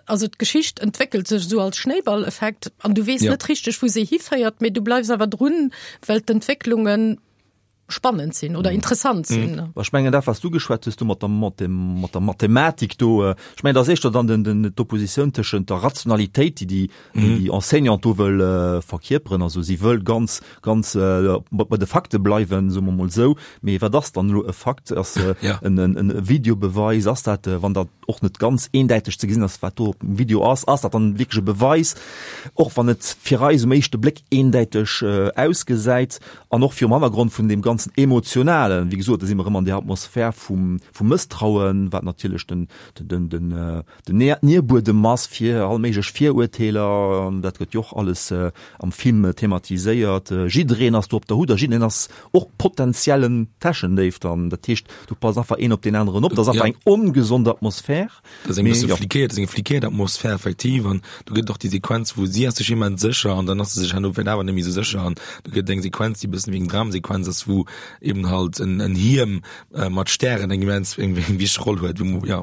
also d'Geschicht entwéckelt sech esou als Schnéiballeffekt an du weess net richteg, wou se hiféiert, mee du bleifs awer drun, well d'Entwécklungen spannend sinn oder interessant sinn. Mm. Ech mengen dat, wat s du geschwat hues do mat der, mat dem, mat der Mathematik do, ech mengen, dat ass éischter dann den, den, d'Oppositioun tëschent der Rationalitéit, déi déi, déi déi Enseignante do wëll verkierperen, also si wëll ganz, ganz bei de Fakte bleiwen, soe mer mol esou, mee wat ass dann elo e Fakt? Ass en, en, en Videobeweis, ass dat, wann dat och net ganz eendäiteg ze gesinn ass, wat do op dem Video ass, ass dat dann wierklech e Beweis, och wann et fir eis um éischte Bléck eendäiteg ausgesäit an och virum Hannergrond vun deem ganzen Emotionalen, wéi gesot, da si mer erëm an där Atmosphär vum, vum Mësstrauen, wat natierlech den, den, den, den Nierbuedem ass fir all méiglech Virurteeler, an dat gëtt jo och alles am Film thematiséiert. Jiddereen ass do op der Hut a jiddereen ass och potenziellen Täschendéif dann. Dat heescht, do passt einfach een op deen aneren op. Dat ass einfach eng ongesond Atmosphär. Dat ass eng bësse fliquéiert, dat ass eng fliquéiert Atmosphär effektiv. An do gëtt et och déi Sequenz, wou si ass sech immens sécher an dann ass se sech herno vläicht awer net méi esou sécher. An do gëtt et eng Sequenz, déi e bëssen wéi eng Dramsequenz ass, wou eben halt en, en Hiem mat Stären eng immens, eng wichteg Roll huet, wou, jo.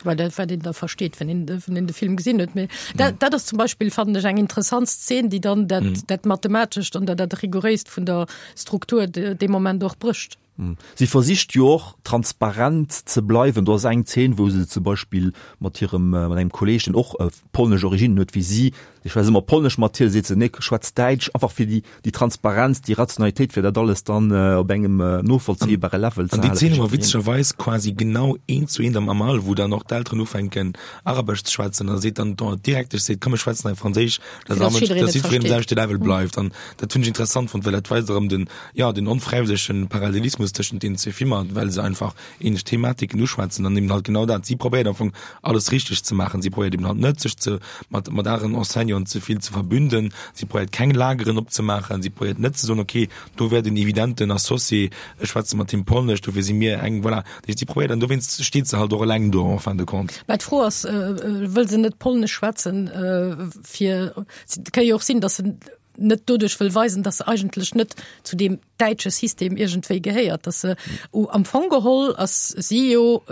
Well dat, wat een da versteet, wann een, wann een de Film gesinn huet. Mee dat, dat ass zum Beispill, fannen ech, eng interessant Szen, déi dann dat, mm. dat Mathematescht an dat, dat Rigouréist vun der Struktur de, dee Moment och brécht. Mm. Si versicht jo och transparent ze bleiwen. Do ass eng Zeen, wou se zum Beispill mat hirem, mat engem Kolleeg, deen och polnesch Originnen huet wéi si, Ech schwätze ëmmer Polnesch mat hir, seet se, nee, schwätz Däitsch, einfach fir déi, déi Transparenz, déi Rationalitéit, fir dat alles dann op engem novollzéibare Level ze halen. An déi Zeen hu mer witzegerweis quasi genau eent zu eent am Amal, wou dann och d'Elteren ufänken Arabesch ze schwätzen, a seet dann d'Direktesch seet, komm mir schwätzen hei Franséisch, dass all Mënsch, dass jiddwereen um selwechte Level bleift. An dat hunn ech interessant fonnt, well dat weist erëm den, jo, den onfräiwëllege Parallelismus tëschent deenen zwee Filmer, well se einfach ähnlech Thematiken uschwätzen an eben halt genau dat, si probéiert am Fong alles richteg ze maachen, si probéiert eben halt net sech ze mat mat aneren Enseignanten ze vill ze verbünden, si probéiert keng Lageren opzemaachen, si probéiert net ze soen, okay, do wär den evidenten Associé, ech schwätze mat him Polnesch, dofir si mir eng, voilà. Dat heescht, si probéiert an dowéinst steet se halt och eleng do en fin de compte. Mä d'Fro ass, wëll se net Polnesch schwätzen, fir, et ka jo och sinn, datt se net doduerch wëll weisen, datt se eigentlech net zu deem däitsche System iergendwéi gehéiert, datt se am Fong geholl ass si jo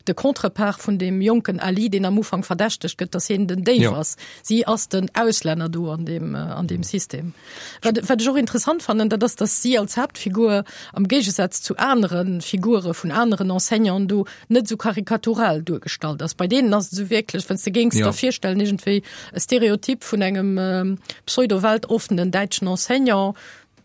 de Contrepart vun deem jonken Ali, deen am Ufank verdächtegt gëtt, datt hien den Déif ass. Si ass den Auslänner do an deem, an deem System. Wat, wat ech och interessant fannen, dat ass, datt si als Haaptfigur am Géigesaz zu anere Figure vun aneren Enseignanten do net esou karikatural duergestallt ass. Bei deenen ass et esou wierklech, wann s de géings der virstellen, iergendwéi e Stereotyp vun engem pseudo-weltoffenen däitschen Enseignant,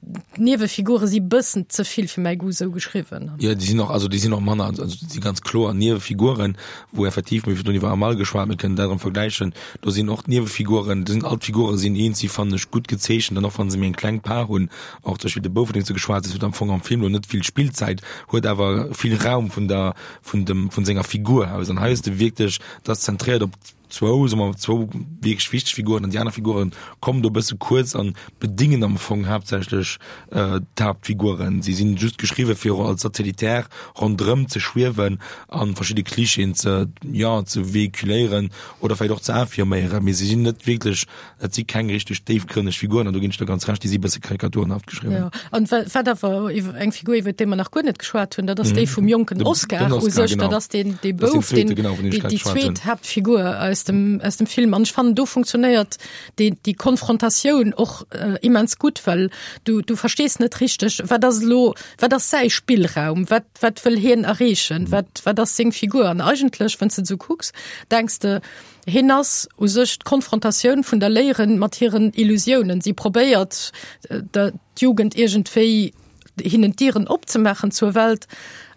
D'Niewefigure si bëssen ze vill fir mäi Goût esou geschriwwen. Jo, déi sinn och, also déi sinn och manner, also déi si ganz kloer Niewefiguren, wou effektiv, mir hu virdrun iwwer Amal geschwat, mir kënnen dat erëm vergläichen, do sinn och d'Niewefiguren, do sinn all d'Figure sinn eens, si fannen ech gutt gezeechent an och wa se méi eng kleng Part hunn, och zum Beispill de Bouf, vun deem s du geschwat hues, huet am Fong am Film elo net vill Spillzäit, huet awer vill Raum vun der, vun dem, vun senger Figur aus an hei hues de wierklech, dat ass zentréiert op zwou, soe mer, zwou wierklech wichteg Figuren an déi aner Figuren kommen do e bësse kuerz an bedingen am Fong haaptsächlech d'Haaptfiguren. Si sinn just geschriwwe fir als Satellitär ronderëm ze schwiewen an verschidde Klischeeën ze, jo, ze véhiculéieren oder vläicht och ze affirméieren, mee si sinn net wierklech Et si keng richteg déifgrënneg Figuren, an do ginn ech der ganz Recht, déi si bësse karikaturenhaft geschriwwen. Jo, an wat awer eng Figur, iwwer déi mer nach guer net geschwat hunn, dat ass déi vum jonken Oscar u sech. Dat ass deen, dee Bouf, deen, déi zweet Haaptfigur aus aus dem aus dem Film. An ech fannen do funktionéiert déi déi Konfrontatioun och äh, immens gutt, well du du verstees net richteg, wat ass elo, wat ass säi Spillraum, wat wat wëll hien erreechen, mhm. wat wat ass seng Figur. An eigentlech, wann s de sou kucks, denks de, hien ass u sech d'Konfrontatioun vun der Léierin mat hiren Illusiounen. Si probéiert äh, der d'Jugend iergendwéi hinnen d'Dieren opzemaachen zur Welt,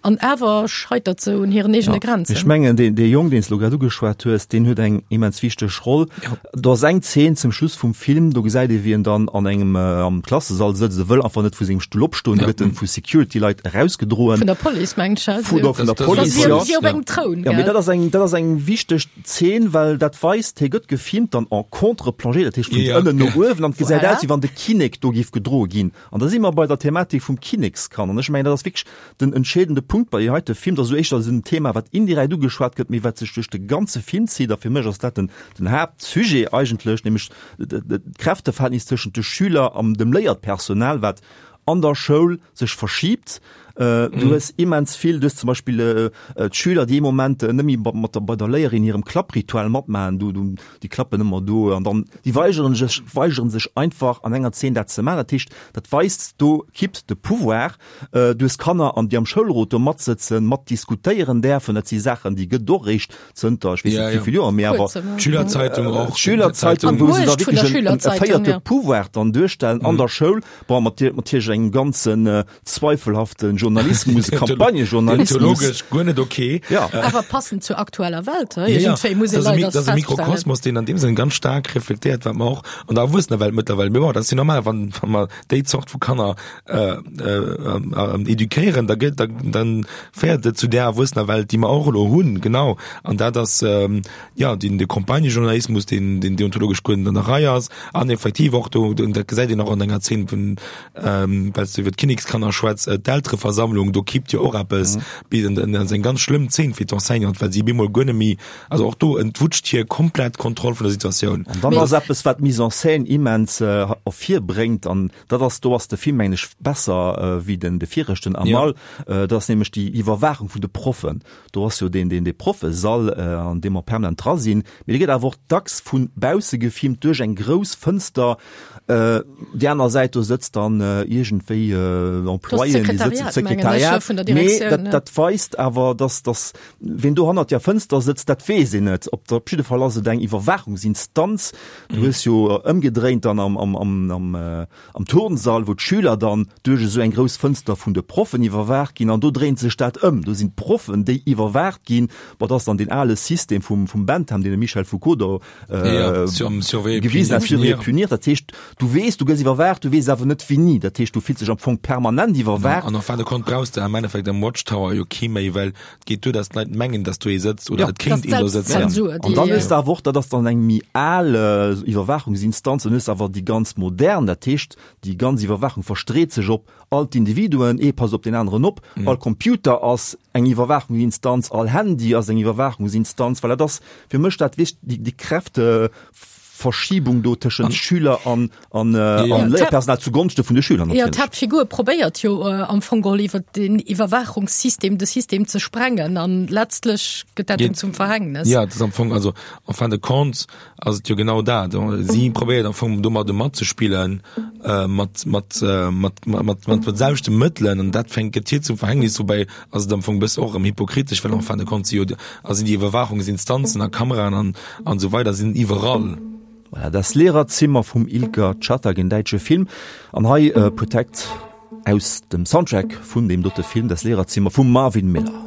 an awer scheitert se un hiren eegene Grenzen. Ech mengen, deen, dee Jong, deen s de elo grad ugeschwat hues, deen huet eng immens wichteg Roll. Do ass eng Zeen zum Schluss vum Film, do gesäit ee wéi en dann an engem, am Klassesall sëtzt, e wëll einfach net vu sengem Stull opstoen, do gëtt en vu Security-Leit erausgedroen. Vun der Police, mengen ech. Vun der, vun der Police, jo. Wéi op engem Troun, gell? Jo, mee dat ass eng, dat ass eng wichteg Zeen, well dat weist, hie gëtt gefilmt dann en contre-plongée, dat heescht vun ënnen no uewen, an et gesäit aus, wéi wann de Kinnek do géif gedroe ginn. An da si mer bei der Thematik vum Kinnekskand. An ech mengen, dat ass wierklech den entscheedende Punkt bei deem heite Film. Dat ass esou éischter esou en Thema, wat indirekt ugeschwat gëtt, mee wat sech duerch de ganze Film zitt. A fir mech ass dat den, den Haaptsujet eigentlech, nämlech d'Kräfteverhältnis tëschent de Schüler an dem Léierpersonal, wat an der Schoul sech verschiebt. Du hues immens vill, du hues zum Beispill d'Schüler, déi ee Moment net méi mat der, bei der Léierin hirem Klappritual matmaachen, do, do, déi klappen ëmmer do an dann, déi weigeren sech, weigeren sech einfach an enger Zeen dat ze maachen. Dat heescht, dat weist, do kippt de Pouvoir. Du hues Kanner, an déi am Schoulrot do matsëtzen, matdiskutéieren däerfen. Dat si Saachen, déi gëtt et och eréischt zënter ech weess net wéi vill Joer, mee awer D'Schülerzeitung och. D'Schülerzeitung, wou se da wierklech en e véierte Pouvoir dann duerstellen an der Schoul, bon, mat natierlech engem ganzen zweifelhafte Journalismus, Campagnejournalismus. Deontologesch guer net ok. Ja. Awer passend zur aktueller Welt, he? Iergendwéi muss ee Dat ass e leider dat ass e feststellen. Mikrokosmos, deen an deem Sënn ganz staark reflektéiert, wat mer och an der Erwuessenerwelt mëttlerweil, mee bon, dat ass jo normal, wann, wa mer déi Zort vu Kanner äh, äh, eduquéieren, da gëtt, da, dann féiert et zu där Erwuessenerwelt, déi mer och elo hunn, genau. An dat ass, ähm, ja, den, de Campagnejournalismus, deen, deen deontologesch guer net an der Rei ass, an effektiv och do, dat gesäit een och an enger Zeen vun, ähm, well s du iwwer d'Kinnekskanner schwätz, äh, d'Eltereversammlung, do kippt jo och eppes, mm. an dat ass eng ganz schlëmm Zeen fir d'Enseignante, well si bemol guer net méi, also och do entwutscht hir komplett d'Kontroll vun der Situatioun. An dann ass eppes, wat d'Mise en scène immens äh, ervirbréngt, an dat ass, do ass de Film, mengen ech, besser äh, wéi den de viregten Amal, ja. äh, dat ass nämlech déi Iwwerwaachung vun de Proffen. Do ass jo deen, deen, dee Proffesall, äh, an deem mer permanent dra sinn, mee dee gëtt awer och dacks vu bausse gefilmt duerch eng grouss Fënster. Äh, déi aner Säit, do sëtzt dann äh, iergendwéi äh, Employéen, déi sëtzen, d'Sekretariat, vun der mee Direktioun, dat, ja. dat weist awer, dass, dass ween do hannert der Fënster sëtzt, dat weess een net. Op, op jidde Fall ass et eng Iwwerwaachungsinstanz. Du hues jo ëmgedréint dann am, am, am, am, äh, am Turnsall, wou d'Schüler dann duerch esou eng grouss Fënster vun de Proffen iwwerwaacht ginn, an do dréint sech dat ëm. Do sinn d'Proffen, déi iwwerwaacht ginn. Bon, dat ass dann deen ale System vum, vum Bentham, deen de Michel Foucault do äh, gewisen hat, surveiller et punir. Dat heescht, du weess, du gëss iwwerwaacht, du weess awer net wéini. Dat heescht, du fills dech am Fong permanent iwwerwaacht. An en fin de compte brauchs de am Endeffekt am Watchtower jo kee méi, well et geet duer, dass d'Leit mengen, dass do ee sëtzt oder et kéint een do sëtzen. An dann hues de awer och, dat ass dann eng méi al Iwwerwaachungsinstanz, dann hues de awer déi ganz modern, dat heescht, déi ganz Iwwerwaachung verstreet sech op all d'Individuen, ee passt op deen aneren op, all Computer ass eng Iwwerwaachungsinstanz, all Handy ass eng Iwwerwaachungsinstanz, well dat ass fir mech dat wich déi, déi Kräfteverschiebung do tëschent Schüler an, an, äh, an Léierpersonal zugonschte vun de Schüler Ja, d'Haaptfigur probéiert jo äh, am Fong geholl iwwer den Iwwerwaachungssystem de System ze sprengen an letztlech gëtt dat em zum Verhängnis. Ja, dat ass am Fong, also en fin de compte ass et jo genau dat. Si probéiert am Fong domadde matzespillen, äh, mat, mat, äh, mat, mat, mat, mat de selwechte Mëttelen an dat fänkt gëtt hir zum Verhängnis. Woubäi ass et am Fong bësse och erëm hypokritesch, well en fin de compte si jo, a sinn déi Iwwerwaachungsinstanzen a Kameraen an, an esou weider sinn iwwerall. Voilà, Das Lehrerzimmer vum Ilker Çatak, en däitsche Film. An hei äh, Protect aus dem Soundtrack vun deem dote Film, Das Lehrerzimmer vum Marvin Miller.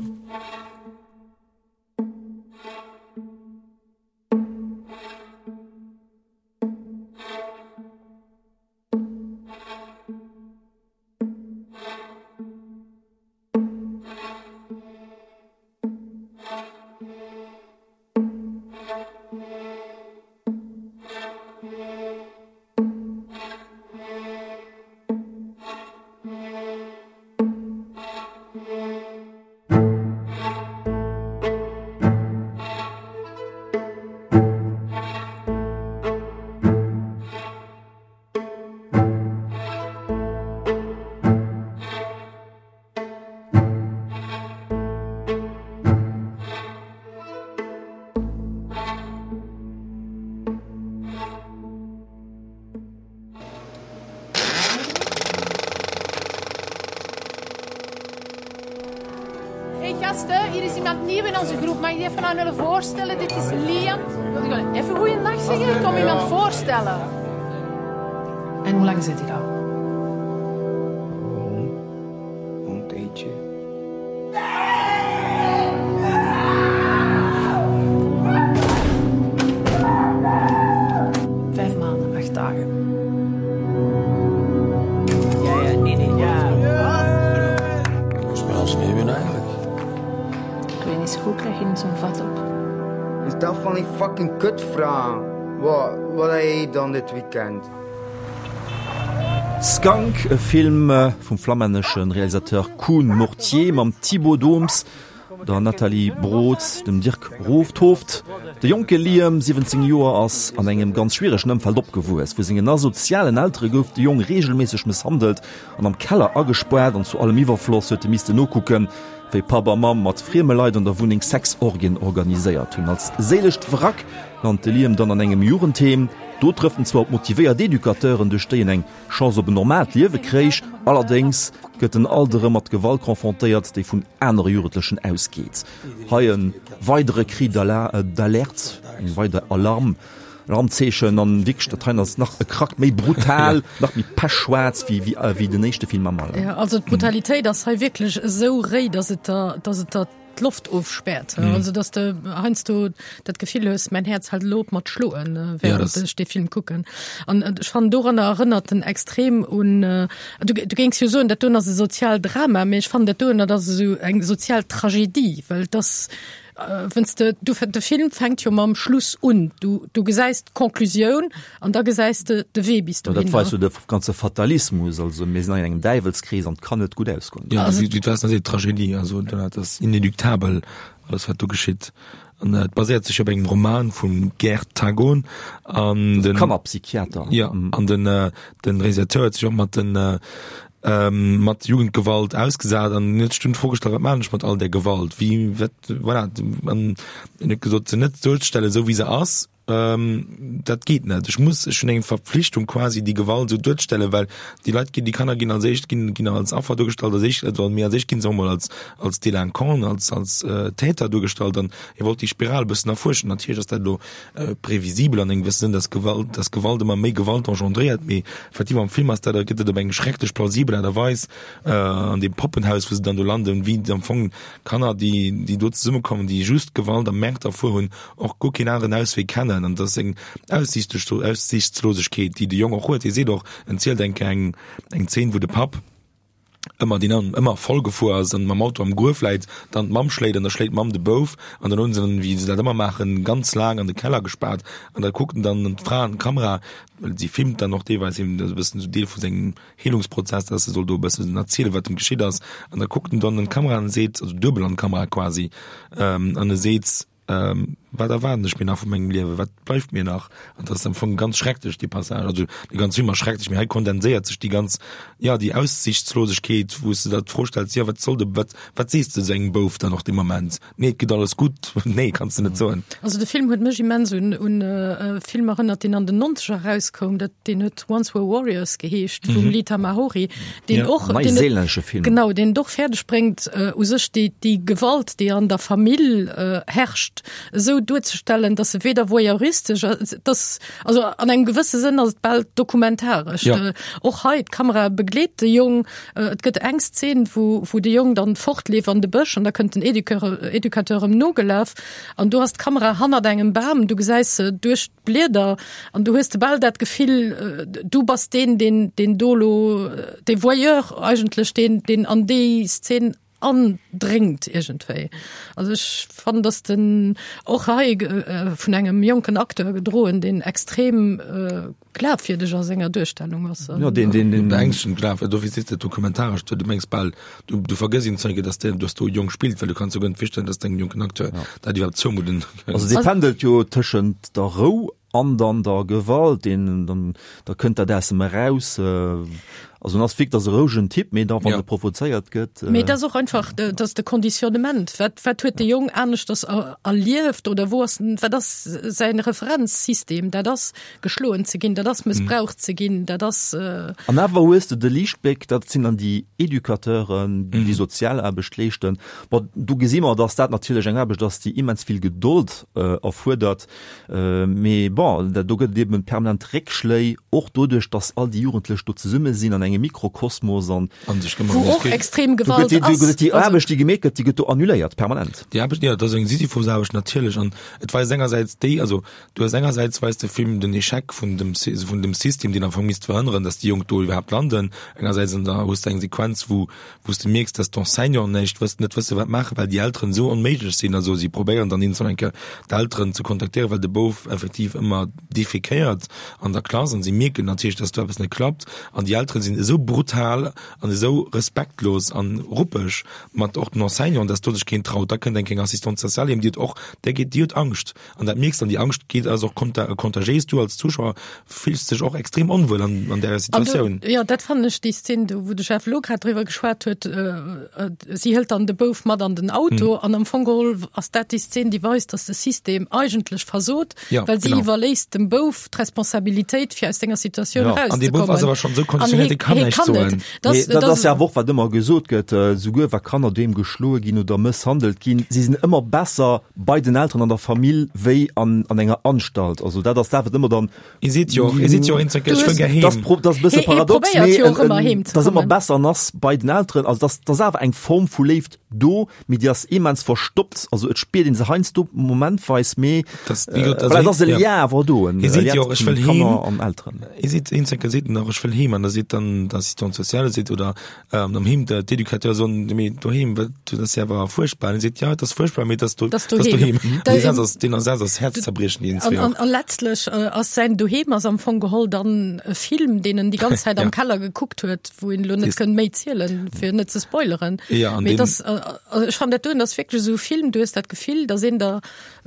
Gasten, hier is iemand nieuw in onze groep. Mag ik die even aan jullie voorstellen? Dit is Liam. Wil ik even goeiedag zeggen? Ik kom iemand voorstellen. En hoe lang zit hij daar? Een tijdje. Vijf maanden, acht dagen. Ja, ja, nee, nee, ja. Spel ze eigenlijk? Ik weet niet zo goed, krijg je niet zo'n vat op. Is dat van die fucking kutvraag? Wat, wat heb je dan dit weekend? Skunk, e Film vum flammännesche Realisateur Koen Mortier mam Thibaut Dooms, der Nathalie Broods, dem Dirk Roofthooft. De jonke Liam, siwwenzéng Joer, ass an engem ganz schwieregen Ëmfeld opgewuess. Vu sengen asozialen Eltere gouf de Jong reegelméisseg mësshandelt an am Keller agespaart an zu allem Iwwerfloss huet e missten nokucken, wéi Papp a Mamm mat frieme Leit an der Wunneng Sexorgien organiséiert hunn. Als séilescht Wrack lant de Liam dann an engem Jugendheem. Do trëfft en zwar op motivéiert Educateuren, duerch déi en eng Chance op en normaalt Liewe kréich, allerdéngs gëtt en alt erëm mat Gewalt confrontéiert, déi vun anere Jugendlechen ausgeet. Hei e weidere Cri d'alerte, eng weider Alarm, Alarmzeechen an wierklech dat hei ass nach e Krack méi brutal, nach méi pechschwaarz wéi wéi den éischte Film am Alter. Jo, also d'Brutalitéit ass hei wierklech esou réi, dass et der, dass et der d'Loft ofspäert. Mhm. Also dass de heiansdo dat Gefill hues, mein Herz hält elo op mat schloen, äh, während ja, ech de Film kucken. An äh, ech fannen doranner erënnert en extrem un äh, du, du géings jo soen, dat doen ass e Sozialdrama, mee ech fannen dat doen dat ass esou eng sozial Tragedie, well das äh, wenn's de, du, de Film fänkt jo mam Schluss un. Du, du gesäis d'Konklusioun an da gesäis de de Wee bis dohinner. Dat war sou de ganze Fatalismus, also mir sinn an engem Däiwelskrees an et kann net gutt ausgoen. Ja, also, wéi du sees, Tragedie, also dat ass inéluctabel, alles wat do geschitt. An et baséiert sech op engem Roman vum Gerd Tagon an den Kannerpsychiater. Ja, an den den Realisateur huet sech och mat den mat Jugendgewalt ausgesat an huet sech dunn d'Fro gestallt, wat maachen ech mat all där Gewalt, wéi, wat, voilà, an en huet gesot, se net duerzestellen, esou wéi se ass, dat geet net, ech muss, ech hunn eng Verpflichtung quasi, déi Gewalt esou duerzestellen, well déi Leit ginn, déi Kanner ginn als éischt, ginn, ginn als Affer duergestallt, als éischt, also mee als éischt ginn se och mol als, als Délinquant, als, als Täter duergestallt an hie wollt déi Spiral e bëssen erfuerschen. Natierlech ass dat elo previsibel an engem gewësse Sënn, dass Gewalt, dass Gewalt ëmmer méi Gewalt engendréiert, mee effektiv am Film ass dat, gëtt et op eng schrecklech plausibel Aart a Weis an deem Poppenhaus, wou se dann do landen, wéi am Fong Kanner, déi, déi do zesummekommen, déi just Gewalt a Mäert erfuer hunn, och guer keen aneren Auswee kennen. An dat ass eng Aussiichtslosegkeet, déi de Jong och huet. Hie seet och, en zielt eng Kéier eng, eng Zeen, wou de Papp, ëmmer deen an ëmmer voll gefuer ass an mam Auto am Gruef läit, dann d'Mamm schléit an da schléit d'Mamm de Bouf an dann hunn se en, wéi se dat ëmmer maachen, ganz laang an de Keller gespaart an da kuckt en dann an d'Fra an d'Kamera, well si filmt dann och deelweis him, dat ass e bëssen esou Deel vu sengem Heelungsprozess, dass e soll do e bëssen erzielen, wat em geschitt ass an da kuckt en dann an d'Kamera an seet, also duebel an d'Kamera quasi, an e seet, Wat erwaarden ech mir nach vu mengem Liewen? Wat bleift mir nach? An dat ass am Fong ganz schrecklech, dee Passage. Also dee ganze Film ass schrecklech, mee hei kondenséiert sech déi ganz, ja, déi Aussichtslosegkeet, wou s de der d'Fro stells, jo, wat soll de, wat, wat sees de esou engem Bouf dann och dee Moment? Nee, et geet alles gutt. Nee, kanns de net soen. Also de Film huet mech immens un un e Film erënnert, deen an den Nonzeger erauskoum, dat, deen huet Once Were Warriors geheescht, vum Lee Tamahori, deen och, deen et, Neiséilännesche Film. genau, deen et och fäerdeg bréngt, u sech déi, déi Gewalt, déi an der Famill herrscht, esou duerzestellen, dass se weder voyeuristesch, dass, also an engem gewësse Sënn ass et bal dokumentaresch. Ja. Och hei, d'Kamera begleet de Jong, et gëtt eng Szen, wou, wou de Jong dann fortleeft an de Bësch an da kënnt den Educateur, Educateur em nogelaf an do ass d'Kamera hannert engem Bam, du gesäis se duerch d'Blieder an du hues de bal dat Gefill, du bass deen, deen, deen do lo, dee Voyeur eigentlech, deen, deen an déi Szen andréngt iergendwéi. Also ech fannen, dass den och hei vun engem jonken Acteur gedroen, deen extrem glafwierdeg a senger Duerstellung ass. Jo, deen, deen, deen. Beängstegend glafwierdeg, dofir sees de dokumentaresch, du mengs bal, du, du vergëss een Zeige, dass deen, dass do e Jong spillt, well du kanns jo guer net virstellen, dass engem jonken Acteur dat iwwerhaapt zoumudden. Also dee pendelt jo tëschent der Rou an dann der Gewalt, deen, dann, da kënnt dat aus em eraus. Also en ass wierklech, ass e rouegen Typ, mee da wann e provozéiert gëtt. Mee et ass och einfach, dat ass de Conditionnement. Wat, wat huet de Jong aneschters erlieft oder wou ass, wat ass säin Referenzsystem? Dat ass geschloen ze ginn, dat ass mëssbraucht ze ginn, dat ass. An awer hues de de Liichtbléck, dat sinn dann déi Educateuren, déi déi sozial Aarbecht leeschten. Bon, do gesi mer, dass dat natierlech eng Aarbecht ass, déi immens vill Gedold erfuerdert. Mee bon, do gëtt et eben permanent Réckschléi, och doduerch, dass all déi Jugendlech do zesumme sinn an engem Mikrokosmos an Wou och extrem Gewalt ass. Déi Aarbecht, déi gemeet gëtt, déi gëtt do annuléiert, permanent. Déi Aarbecht, jo, dat ass eng Sisyphusaarbecht natierlech. An et weist engersäits déi, also du hues engersäits weist de Film den Echec vun dem, vun dem System, deen am Fong misst verhënneren, dass déi Jonk do iwwerhaapt landen. Engersäits an da hues de eng Sequenz, wou, wou s de mierks, dass d'Enseignanten näischt wëssen, net wëssen, wat maachen, well déi Elteren esou onméiglech sinn. Also si probéieren dann iergendwann eng Kéier d'Elteren ze kontaktéieren, well de Bouf effektiv ëmmer defekéiert an der Klass an si mierken natierlech, dass do eppes net klappt an déi Elteren sinn esou brutal an esou respektlos an ruppeg mat och den Enseignanten, dass do sech keen traut. Da kënnt eng kéng Assistante sociale heem, déi huet och, där geet, déi huet Angscht an dat mierks dann, déi Angscht geet ass och kontagéis. Du als Zuschauer fills dech och extrem onwuel an an där Situatioun. An do, jo, dat fannen ech déi Szen do, wou de Jeff elo grad driwwer geschwat huet, si hëlt dann de Bouf mat an den Auto an am Fong geholl ass dat déi Szen, déi weist, dass de System eigentlech versot, Ja, well si genau. iwwerléisst dem Bouf d'Responsabilitéit, fir aus senger Situatioun Ja. An dee Bouf ass erauszekommen. awer schonn esou An konditionéiert, hee, dee kann hee näischt kann net. soen. Das, Mee dat das, ass jo awer och, wat ëmmer gesot gëtt, souguer wa Kanner doheem geschloe ginn oder mësshandelt ginn, si sinn ëmmer besser bei den Elteren an der Famill wéi an, an enger Anstalt. Also dat ass dat, wat ëmmer dann. Hie seet jo och, hie seet jo och eenzel, ech wëll gär heem. Dat ass pro, dat ass e bësse Hie, hie paradox, probéiert mee jo och en, ëmmer en, heem ze dat ass ëmmer kommen. besser an ass bei den Elteren. Also dat, dat ass awer eng Form vu Léift do, mee déi ass immens verstoppt. Also et spiert een se heiansdo momentweis, mee Das, wie gesagt, äh, also voilà, dat ass e ja. Lien awer do, en Hie seet Lien jo och, ech tëschent wëll Kanner heem. an Elteren. Hie seet, een Zecker seet en och, ech wëll heem. An da seet dann d'Assistante sociale seet, oder ähm, am Heem de, d'Educateur soen, mee doheem, wat, dat ass jo awer fuerchtbar. An hie seet, ja, et ass fuerchtbar, mee et ass do, Et ass et ass doheem. doheem. Da- Dee Saz ass, deen Saz ass herzzerbriechend, deen An, zwee an, och. an letztlech äh, ass säin Doheem ass am Fong geholl dann e Film, deen en déi ganz Zäit am Ja. Keller gekuckt huet, wou een elo net Dee- kënnt méi zielen, fir net ze spoileren. Ja, an Mee deen- das, äh, also ech fand dat doen, ass wierklech esou e Film, du hues dat Gefill, dass een der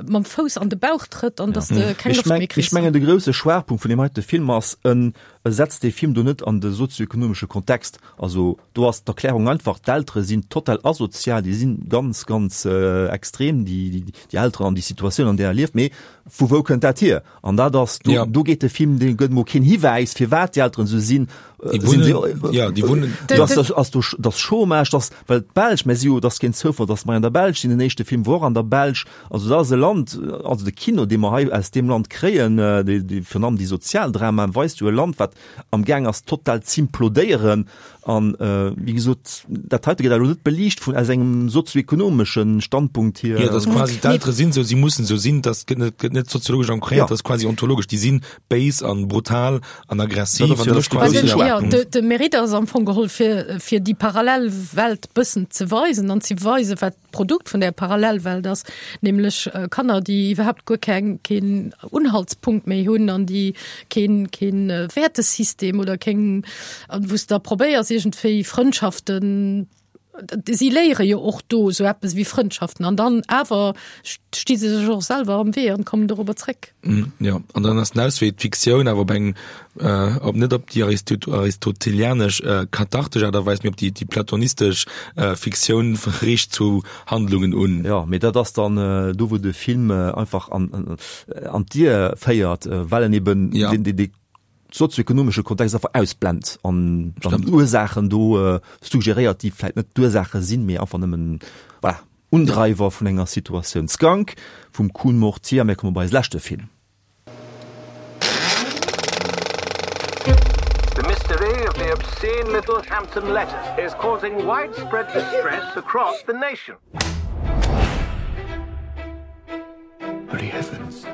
mam Fouss an de Bauch trëtt an dass de keng Ech Loft méi meng, kriss. ech mengen de grousse Schwaachpunkt vun deem heite Film ass, en e setzt dee Film do net an de sozioekonomesche Kontext. Also do ass d'Erklärung einfach, d'Eltere sinn total asozial, déi sinn ganz, ganz äh, extrem, déi, déi, déi Elteren an déi Situatioun, an där er lieft. Mee vu wou kënnt dat hier? An dat ass, do, Ja. do geet de Film, dee gëtt mol keen Hiwäis, firwat déi Elteren esou sinn. Déi Äh, sinn si, wunnen, ja, déi wunnen, dass, dass, ass do, dass Chômage, dass, well d'Belsch, mä si jo, dat ass keen Zoufall, dass mer an der Belsch sinn, den éischte Film wor an der Belsch, also dat ass e Land, also de Kino, dee mer hei aus deem Land kréien, déi, déi, virun allem déi Sozialdramaen, weist jo e Land, wat am Gaang ass total z'implodéieren an, äh, wéi gesot, dat heite gëtt elo net beliicht vun, aus engem sozioekonomeschen Standpunkt hier. Ja, dass quasi d'Eltere sinn esou, si mussen esou sinn, dat gëtt net, gëtt net soziologesch ancréiert, Ja. dat ass quasi ontologesch, déi sinn béis an brutal an aggressiv Dat ass an jo dat ass de quasi grousse Ja, Schwaachpunkt. de, de Mérite ass am Fong geholl fir, fir déi Parallelwelt bëssen ze weisen an ze weisen, wat d'Produkt vun där Parallelwelt ass, nämlech äh, Kanner, déi iwwerhaapt guer keng, keen Unhaltspunkt méi hunn an déi keen, keen äh, Wertesystem oder keng, an wou s da probéiers iergendwéi Frëndschaften, si léiere jo och do sou eppes wéi Frëndschaften an dann awer sti se sech och selwer am Wee an kommen dorobber zréck. Mm, ja, an dann ass den Auswee d'Fiktioun, awer op eng, äh, op net op déi Aristot aristotelianesch äh, kathartesch Aart a Weis, mee op déi, déi platonistesch äh, Fiktioun riicht zu Handlungen un. Ja, mee dat ass dann äh, do, wou de Film äh, einfach an, an, an d'Ier féiert, äh, well en eben Ja. den, den, den sozioekonomesche Kontext einfach ausblend an dann Ursaachen do äh, suggeréiert, déi vläicht net d'Ursaache sinn, mee einfach nëmmen, voilà, Undreiwer vun enger Situatioun. Skunk vum Koen Mortier, mir komme bei eise leschte Film. The mystery of the obscene little Hampton letters is causing widespread distress across the nation. Holy heavens.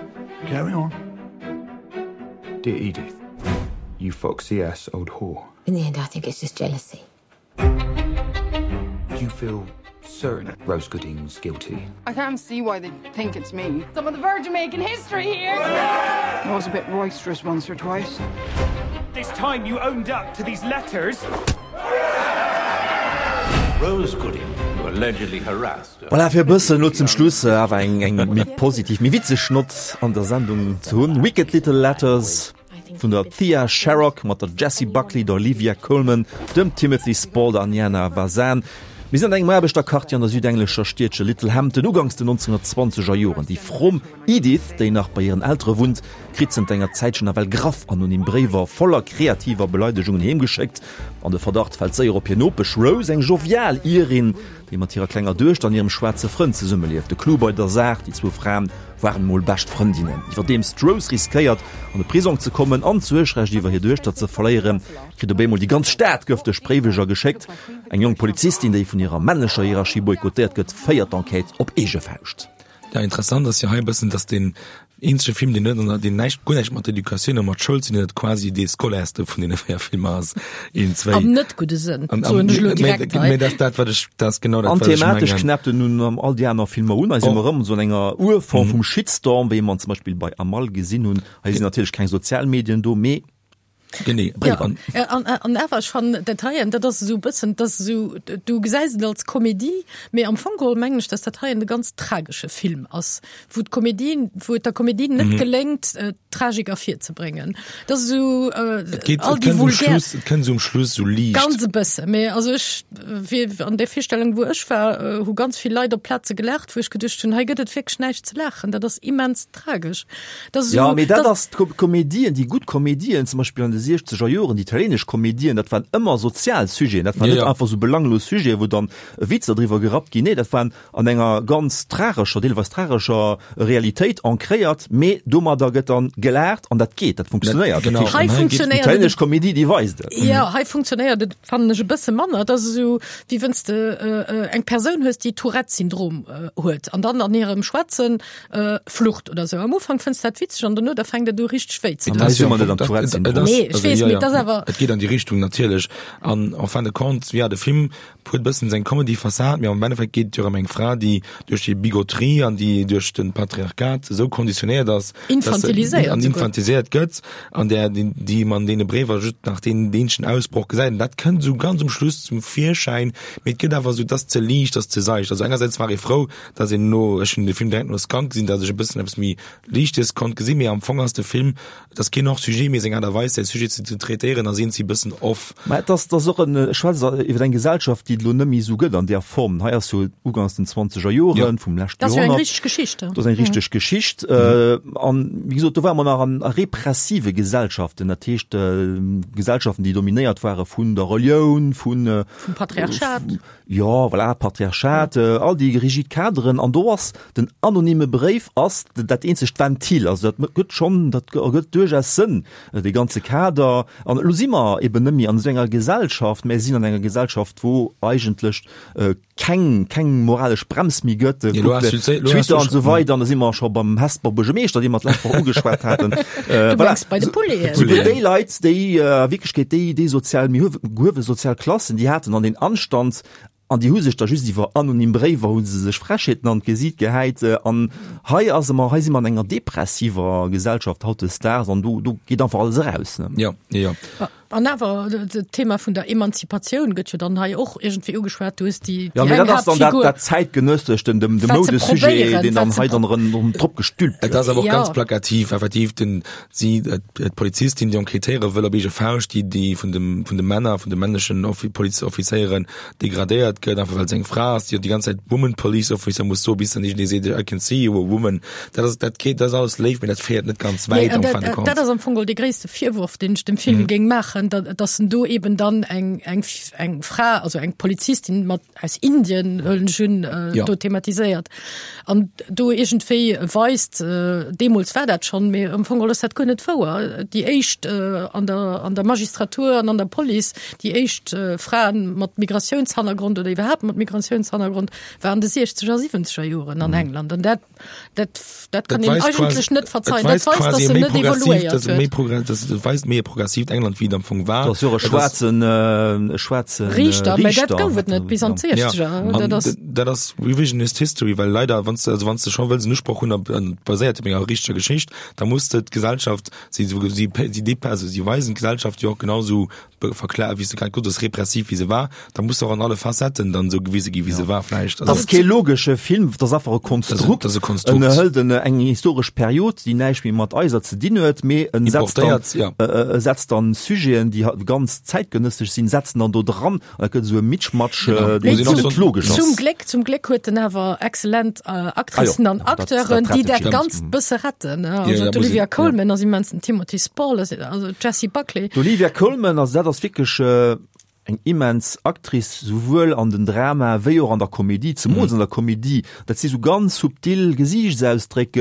Carry on. Dear Edith, you foxy ass old whore. In the end, I think it's just jealousy. Do you feel certain Rose Gooding's guilty? I can't see why they think it's me. I'm on the verge of making history here. I was a bit roisterous once or twice. This time you owned up to these letters. Rose Gooding, who allegedly harassed. Voilà, fir e bëssen elo zum Schluss awer eng, eng méi positiv, méi witzeg Nott an der Sendung ze hunn. Wicked Little Letters vun der Thea Sharrock mat der Jessie Buckley, der Olivia Colman, dem Timothy Spall an Jana Vasan. Mir sinn an engem Aarbechterquartier an der südenglescher Stiedche Littlehampton uganks den neunzehnhundertzwanzeger Joren. Déi fromm Edith, déi nach bei hiren Eltere wunnt, kritt zënter enger Zäitchen nawell graff anonym Bréiwer voller kreativer Beleidegungen heemgeschéckt. An de Verdacht fält séier op hir Nopesch Rose, eng jovial Irin, déi mat hirer klenger Duechter an hirem schwaarze Frënd zesummelieft. De Clou bei der Saach, déi zwou Fraen waren mol bescht Frëndinnen. Iwwerdeems d'Rose riskéiert, an de Prisong ze kommen an d'Suergrecht iwwer hir Duechter ze verléieren, kritt op eemol déi ganz Stad gëfteg Bréiweger geschéckt. Eng jonk Polizistin, déi vun hirer männlecher Hierarchie boykottéiert gëtt, féiert d'Enquête op eege Fauscht. Ja, interessant ass jo hei e bëssen, dass deen eenzege Film, deen net, deen näischt, guer näischt mat Educatioun a mat Schoul ze dinn huet, quasi dee scolairste vun deene véier Filmer ass. Een, zwéi. Am net gudde Sënn, soen ech elo direkt hei. Mee dat ass dat, wat ech, dat ass genau dat, An wat ech thematesch mengen. knäppt en nun an all déi aner Filmer un. Hei si mer erëm esou an enger Urform vum Shitstorm, wéi mer en zum Beispill bei Amal gesinn hunn. Hei sinn natierlech keng Sozialmedien do, mee Genee. Ja, an, an awer ech fannen dat heien, dat ass esou e bëssen, dat ass esou, du gesäis et als Komedie, mee am Fong geholl mengen ech, dass dat heien e ganz tragesche Film ass, wou d'Komedie, wou et der Komedie net mhm. geléngt, äh, Tragik ervirzebréngen. Dat ass esou äh, Et geet, all et déi kënnt um vulgär Schluss, et kënnt um Schluss sou liicht. Ganz e bësse, mee also ech, wéi an der Virstellung, wou ech war, äh, hu ganz vill Leit op Plaze gelaacht, wou ech geduecht hunn, hei gëtt et wierklech näischt ze laachen, dat ass immens tragesch. Dat ass Ja, esou, mee dat dat ass d'Komedien, déi gutt Komedien, zum Beispill an de siechzeger Joren, déi italienesch Komedien, dat waren ëmmer sozial Sujeten, dat waren Ja, net ja. einfach sou belanglos Sujeten, wou dann Witzer driwwer gerappt ginn, nee, dat waren an enger ganz tragescher, deelweis tragescher Realitéit ancréiert, mee domadder gëtt dann gelaacht an dat geet, dat funktionéiert. Genau. Dat heescht, Hei An hei geet- déi funktionéiert et italienesch Komedie, déi weist et. Ja, hei funktionéiert et, fannen ech, e bësse manner. Dat ass esou, wéi wann s de eng Persoun hues, déi Tourette-Syndrom huet an dann an hirem Schwätzen flucht oder sou. Am Ufank fënns dat witzeg an dono da fänkt et u richteg wéi ze An doen. hei si mer net am Tourette-Syndrom. Nee, ech weess, mee et ass awer. Et geet an déi Richtung natierlech. An en fin de compte, ja, de Film huet e bëssen seng Comedy-Fassad, mee am Endeffekt geet et jo ëm eng Fra, déi duerch déi Bigotterie an déi duerch de Patriarchat esou konditionéiert ass, dass se Infantiliséiert an souguer. infantiliséiert gëtt, an där, déi, déi man deene Bréiwer just nach deen eenzegen Ausbroch gesäit. An dat kënnt esou ganz um Schluss zum Virschäin, mee et gëtt awer esou, et ass ze liicht, et ass ze seicht. Also engersäits war ee frou, dass een no, ech hunn de Film direkt no Skunk gesinn, dass ech e bëssen eppes méi Liichtes konnt gesinn, mee am Fong ass de Film, et ass keen Hors-sujet, mee seng Aart a Weis, säi Sujet ze traitéieren, ass iergendwéi e bëssen off. Mä et ass, et ass och en, ech schwätze iwwer eng Gesellschaft, déi et elo net méi esou gëtt an där Form. Hei ass jo ugangs den zwanzeger Joren vum leschte Dat ass jo eng Joerhonnert. richteg Geschicht. Dat ass eng richteg Geschicht. An, wéi gesot, do ware mer nach an repressive Gesellschaften, dat heescht Gesellschaften, déi dominéiert ware vun der Relioun, vun, Vum Patriarchat. Jo, voilà, Patriarchat, all déi rigid Kaderen. An do ass den anonyme Bréif ass dat eenzegt Ventil. Also dat gëtt schonn, dat ergëtt duerchaus Sënn, dee ganze Kader. An elo si mer eben net méi an esou enger Gesellschaft, mä sinn an enger Gesellschaft, wou eigentlech keng, keng moralesch Brems méi gëtt. Kuckt Twitter an esou weider. An da si mer scho beim Hesper Buergermeeschter, dee mer d'lescht Woch ugeschwat haten. Du mengs bei de Poulainen. Souguer déi Leit, déi a Wierklechkeet déi, déi sozial méi gehuewe sozial Klassen, déi haten dann den Anstand, an déi hu sech da just iwwer anonym Bréiwer hu se sech Frechheeten an d'Gesiit gehäit. An hei ass ëmmer, hei si mer an enger depressiver Gesellschaft hautdesdaags an do, do geet einfach alles eraus, ne? Jo, jo, jo. An awer, d'Thema vun der Emanzipatioun gëtt jo dann hei och iergendwéi ugeschwat. Du hues déi, Ja, déi mee eng dat ass dann dat, Haaptfigur. dat zäitgenëssescht, den, de Wat se Moudesujet, probéieren, deen dann wat se hei dann erëm drop gestülpt Et ass gëtt. awer och Ja. ganz plakativ, effektiv, den, si, d'Polizistin, déi enquêtéiere wëll op eege Fauscht, déi, déi vun dem, vun de Männer, vun de männlechen Offi-, Polizeoffizéieren degradéiert gëtt, einfach well se eng Fra ass, déi och déi ganz Zäit Woman Police Officer muss soen, bis dann iergendee seet, I can see you a woman. Dat ass, dat geet, dat ass alles léif, mee dat féiert net ganz Nee, wäit an en dat, fin de dat compte. ass am Fong dee gréisste Virwurf, deen ech dem Film géing maachen, dat, dass en do eben dann eng, eng, eng Fra, also eng Polizistin mat aus Indien, huelen ech un, äh, Ja. do thematiséiert. An do iergendwéi weist, äh, deemools war dat schonn, mee am Fong ass dat guer net wouer. Déi éischt äh, an der, an der Magistratur an an der Police, déi éischt äh, Fraen mat Migratiounshannergrond oder iwwerhaapt mat Migratiounshannergrond war an de siechzeger a siwwenzeger Joren an England. An dat, dat, dat kann Dat een weist eigentlech quasi, net et verzeien. Dat weist weist, quasi dass e en méi net progressiivt, evoluéiert dass e méi huet. progr-, dass et weist méi e progressiivt England wéi et am Fong war. Do ass jo och e schwaarzen, e schwaarze Riichter, mä dat gouf et net bis an d'Siechzeger. Ja, dat ass dat ass Revisionist History, well leider, wann s de, also wann s de scho wëlls en Usproch hunn op, an baséiert op enger richteger Geschicht, da muss de d'Gesellschaft, si, si, si, also si weisen d'Gesellschaft jo och genau sou verklä, wéi s de grad gesot hues, repressiv wéi se war, da muss se och an alle Facetten dann sou gewise gi wéi se war vläicht. Dat ass kee logesche Film, dat ass einfach e Konstrukt. Dat ass e Konstrukt. En hëlt en eng historesch Period, déi näischt méi mat eiser ze dinn huet, mee en setzt dann, ja. e setzt dann Sujeten, déi ganz zäitgenëssesch sinn, setzt en dann do dran an da gëtt esou e Mitschmatsch, deen net logesch ass. Zum Gléck, zum Gléck huet en awer exzellent Actricen an Acteuren, déi dat Ganzt bësse retten. Also d'Olivia Colman ass immens, den Timothy Spall, also d'Jessie Buckley. D'Olivia Colman, also dat ass wierklech eng immens Actrice, souwuel an den Drama wéi och an der Komedie, zemools an der Komedie. Dat si sou ganz subtil Gesiichtsausdréck,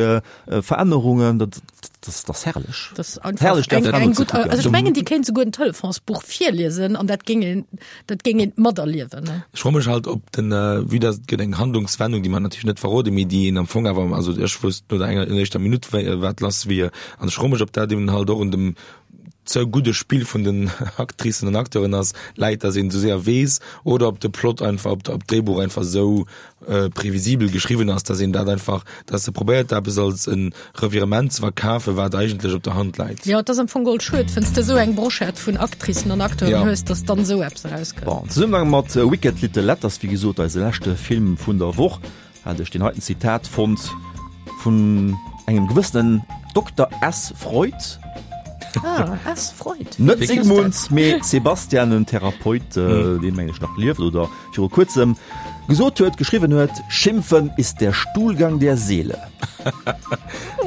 Verännerungen, dat dat ass herrlech. Dat ass einfach eng, eng gutt, also ech mengen, déi kéint souguer en Telefonsbuch virliesen an dat géing een, dat géing een materliewen. Ech froe mech halt, ob den, vue dass et gëtt eng Handlungswendung, déi mer natierlech net verroden, mee déi een am Fong awer, also ech wousst no der enger éischter Minutt, wat lass wier, an ech froe mech, ob dat eben halt och un dem ze gudde Spill vun den Actricen an Acteuren ass, läit, dass een esou séier weess, oder ob de Plot einfach, ob d'Dréibuch einfach esou previsibel geschriwwen ass, dass een dat einfach, dass se probéiert eppes als e Revirement ze verkafen, wat eigentlech op der Hand läit. Jo, et ass am Fong geholl schued, wann s de esou eng Brochette vun Actricen an Acteuren hues, dass dann esou eppes erauskënnt. Bon, am Zesummenhang mat Wicked Little Letters, wéi gesot eise leschte Film vun der Woch, hat ech deen heiten Zitat fonnt vun engem gewëssenen Dokter S. Freud. Ah, S. Freud. Net Sigmund, mee Sebastian, en Therapeut, deen, mengen ech, nach lieft oder viru kuerzem gesot huet, geschriwwen huet, Schimpfen ist der Stuhlgang der Seele.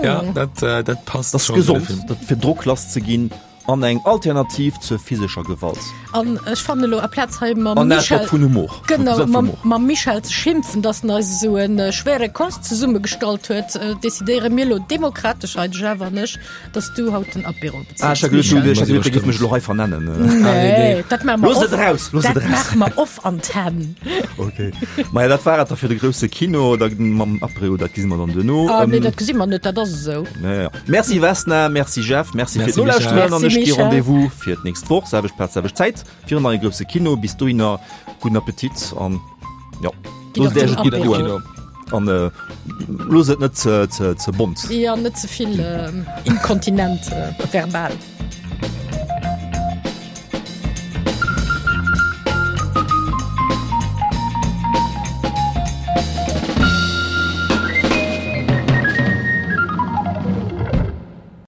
Ja, dat, dat passt Das ass gesond, dat fir Drock lass ze ginn. An eng Alternativ zur physescher Gewalt. An ech fannen elo aplaz hei mam An Michel, vun Humor. Genau, mam, mam Michel ze schimpfen, dass en eis esou en schwere Kost zesummegestallt huet, decidéiere mir elo demokratesch hei, de Jeff an ech, dass du haut den Apéro bezils. Ah, ech hat geduet, du, ech hat geduet, dir géift mech elo hei vernennen. Nee, dat maache mer Looss off, et eraus, looss et dat eraus. maache mer off Antenn. Okay. Maja, dat war et da fir de grousse Kino, da mam Apéro, dat gesi mer dann duerno. Ah, nee, dat gesi mer net, dat ass esou. Ja, ja. Merci Vesna, merci Jeff, merci fir Merci, d'Nolauschteren an Merci, ech gi Michel. Rendez-vous fir d'nächst Woch, selwecht Plaz, selwecht Zäit, fir en neie grousse Kino. Bis dohinner gudden Appetit an jo, Gitt loosst op Iech den et gutt Apéro. goen an äh, loosst et net ze, ze, ze bont. Ja, net ze vill äh, inkontinent äh, verbal.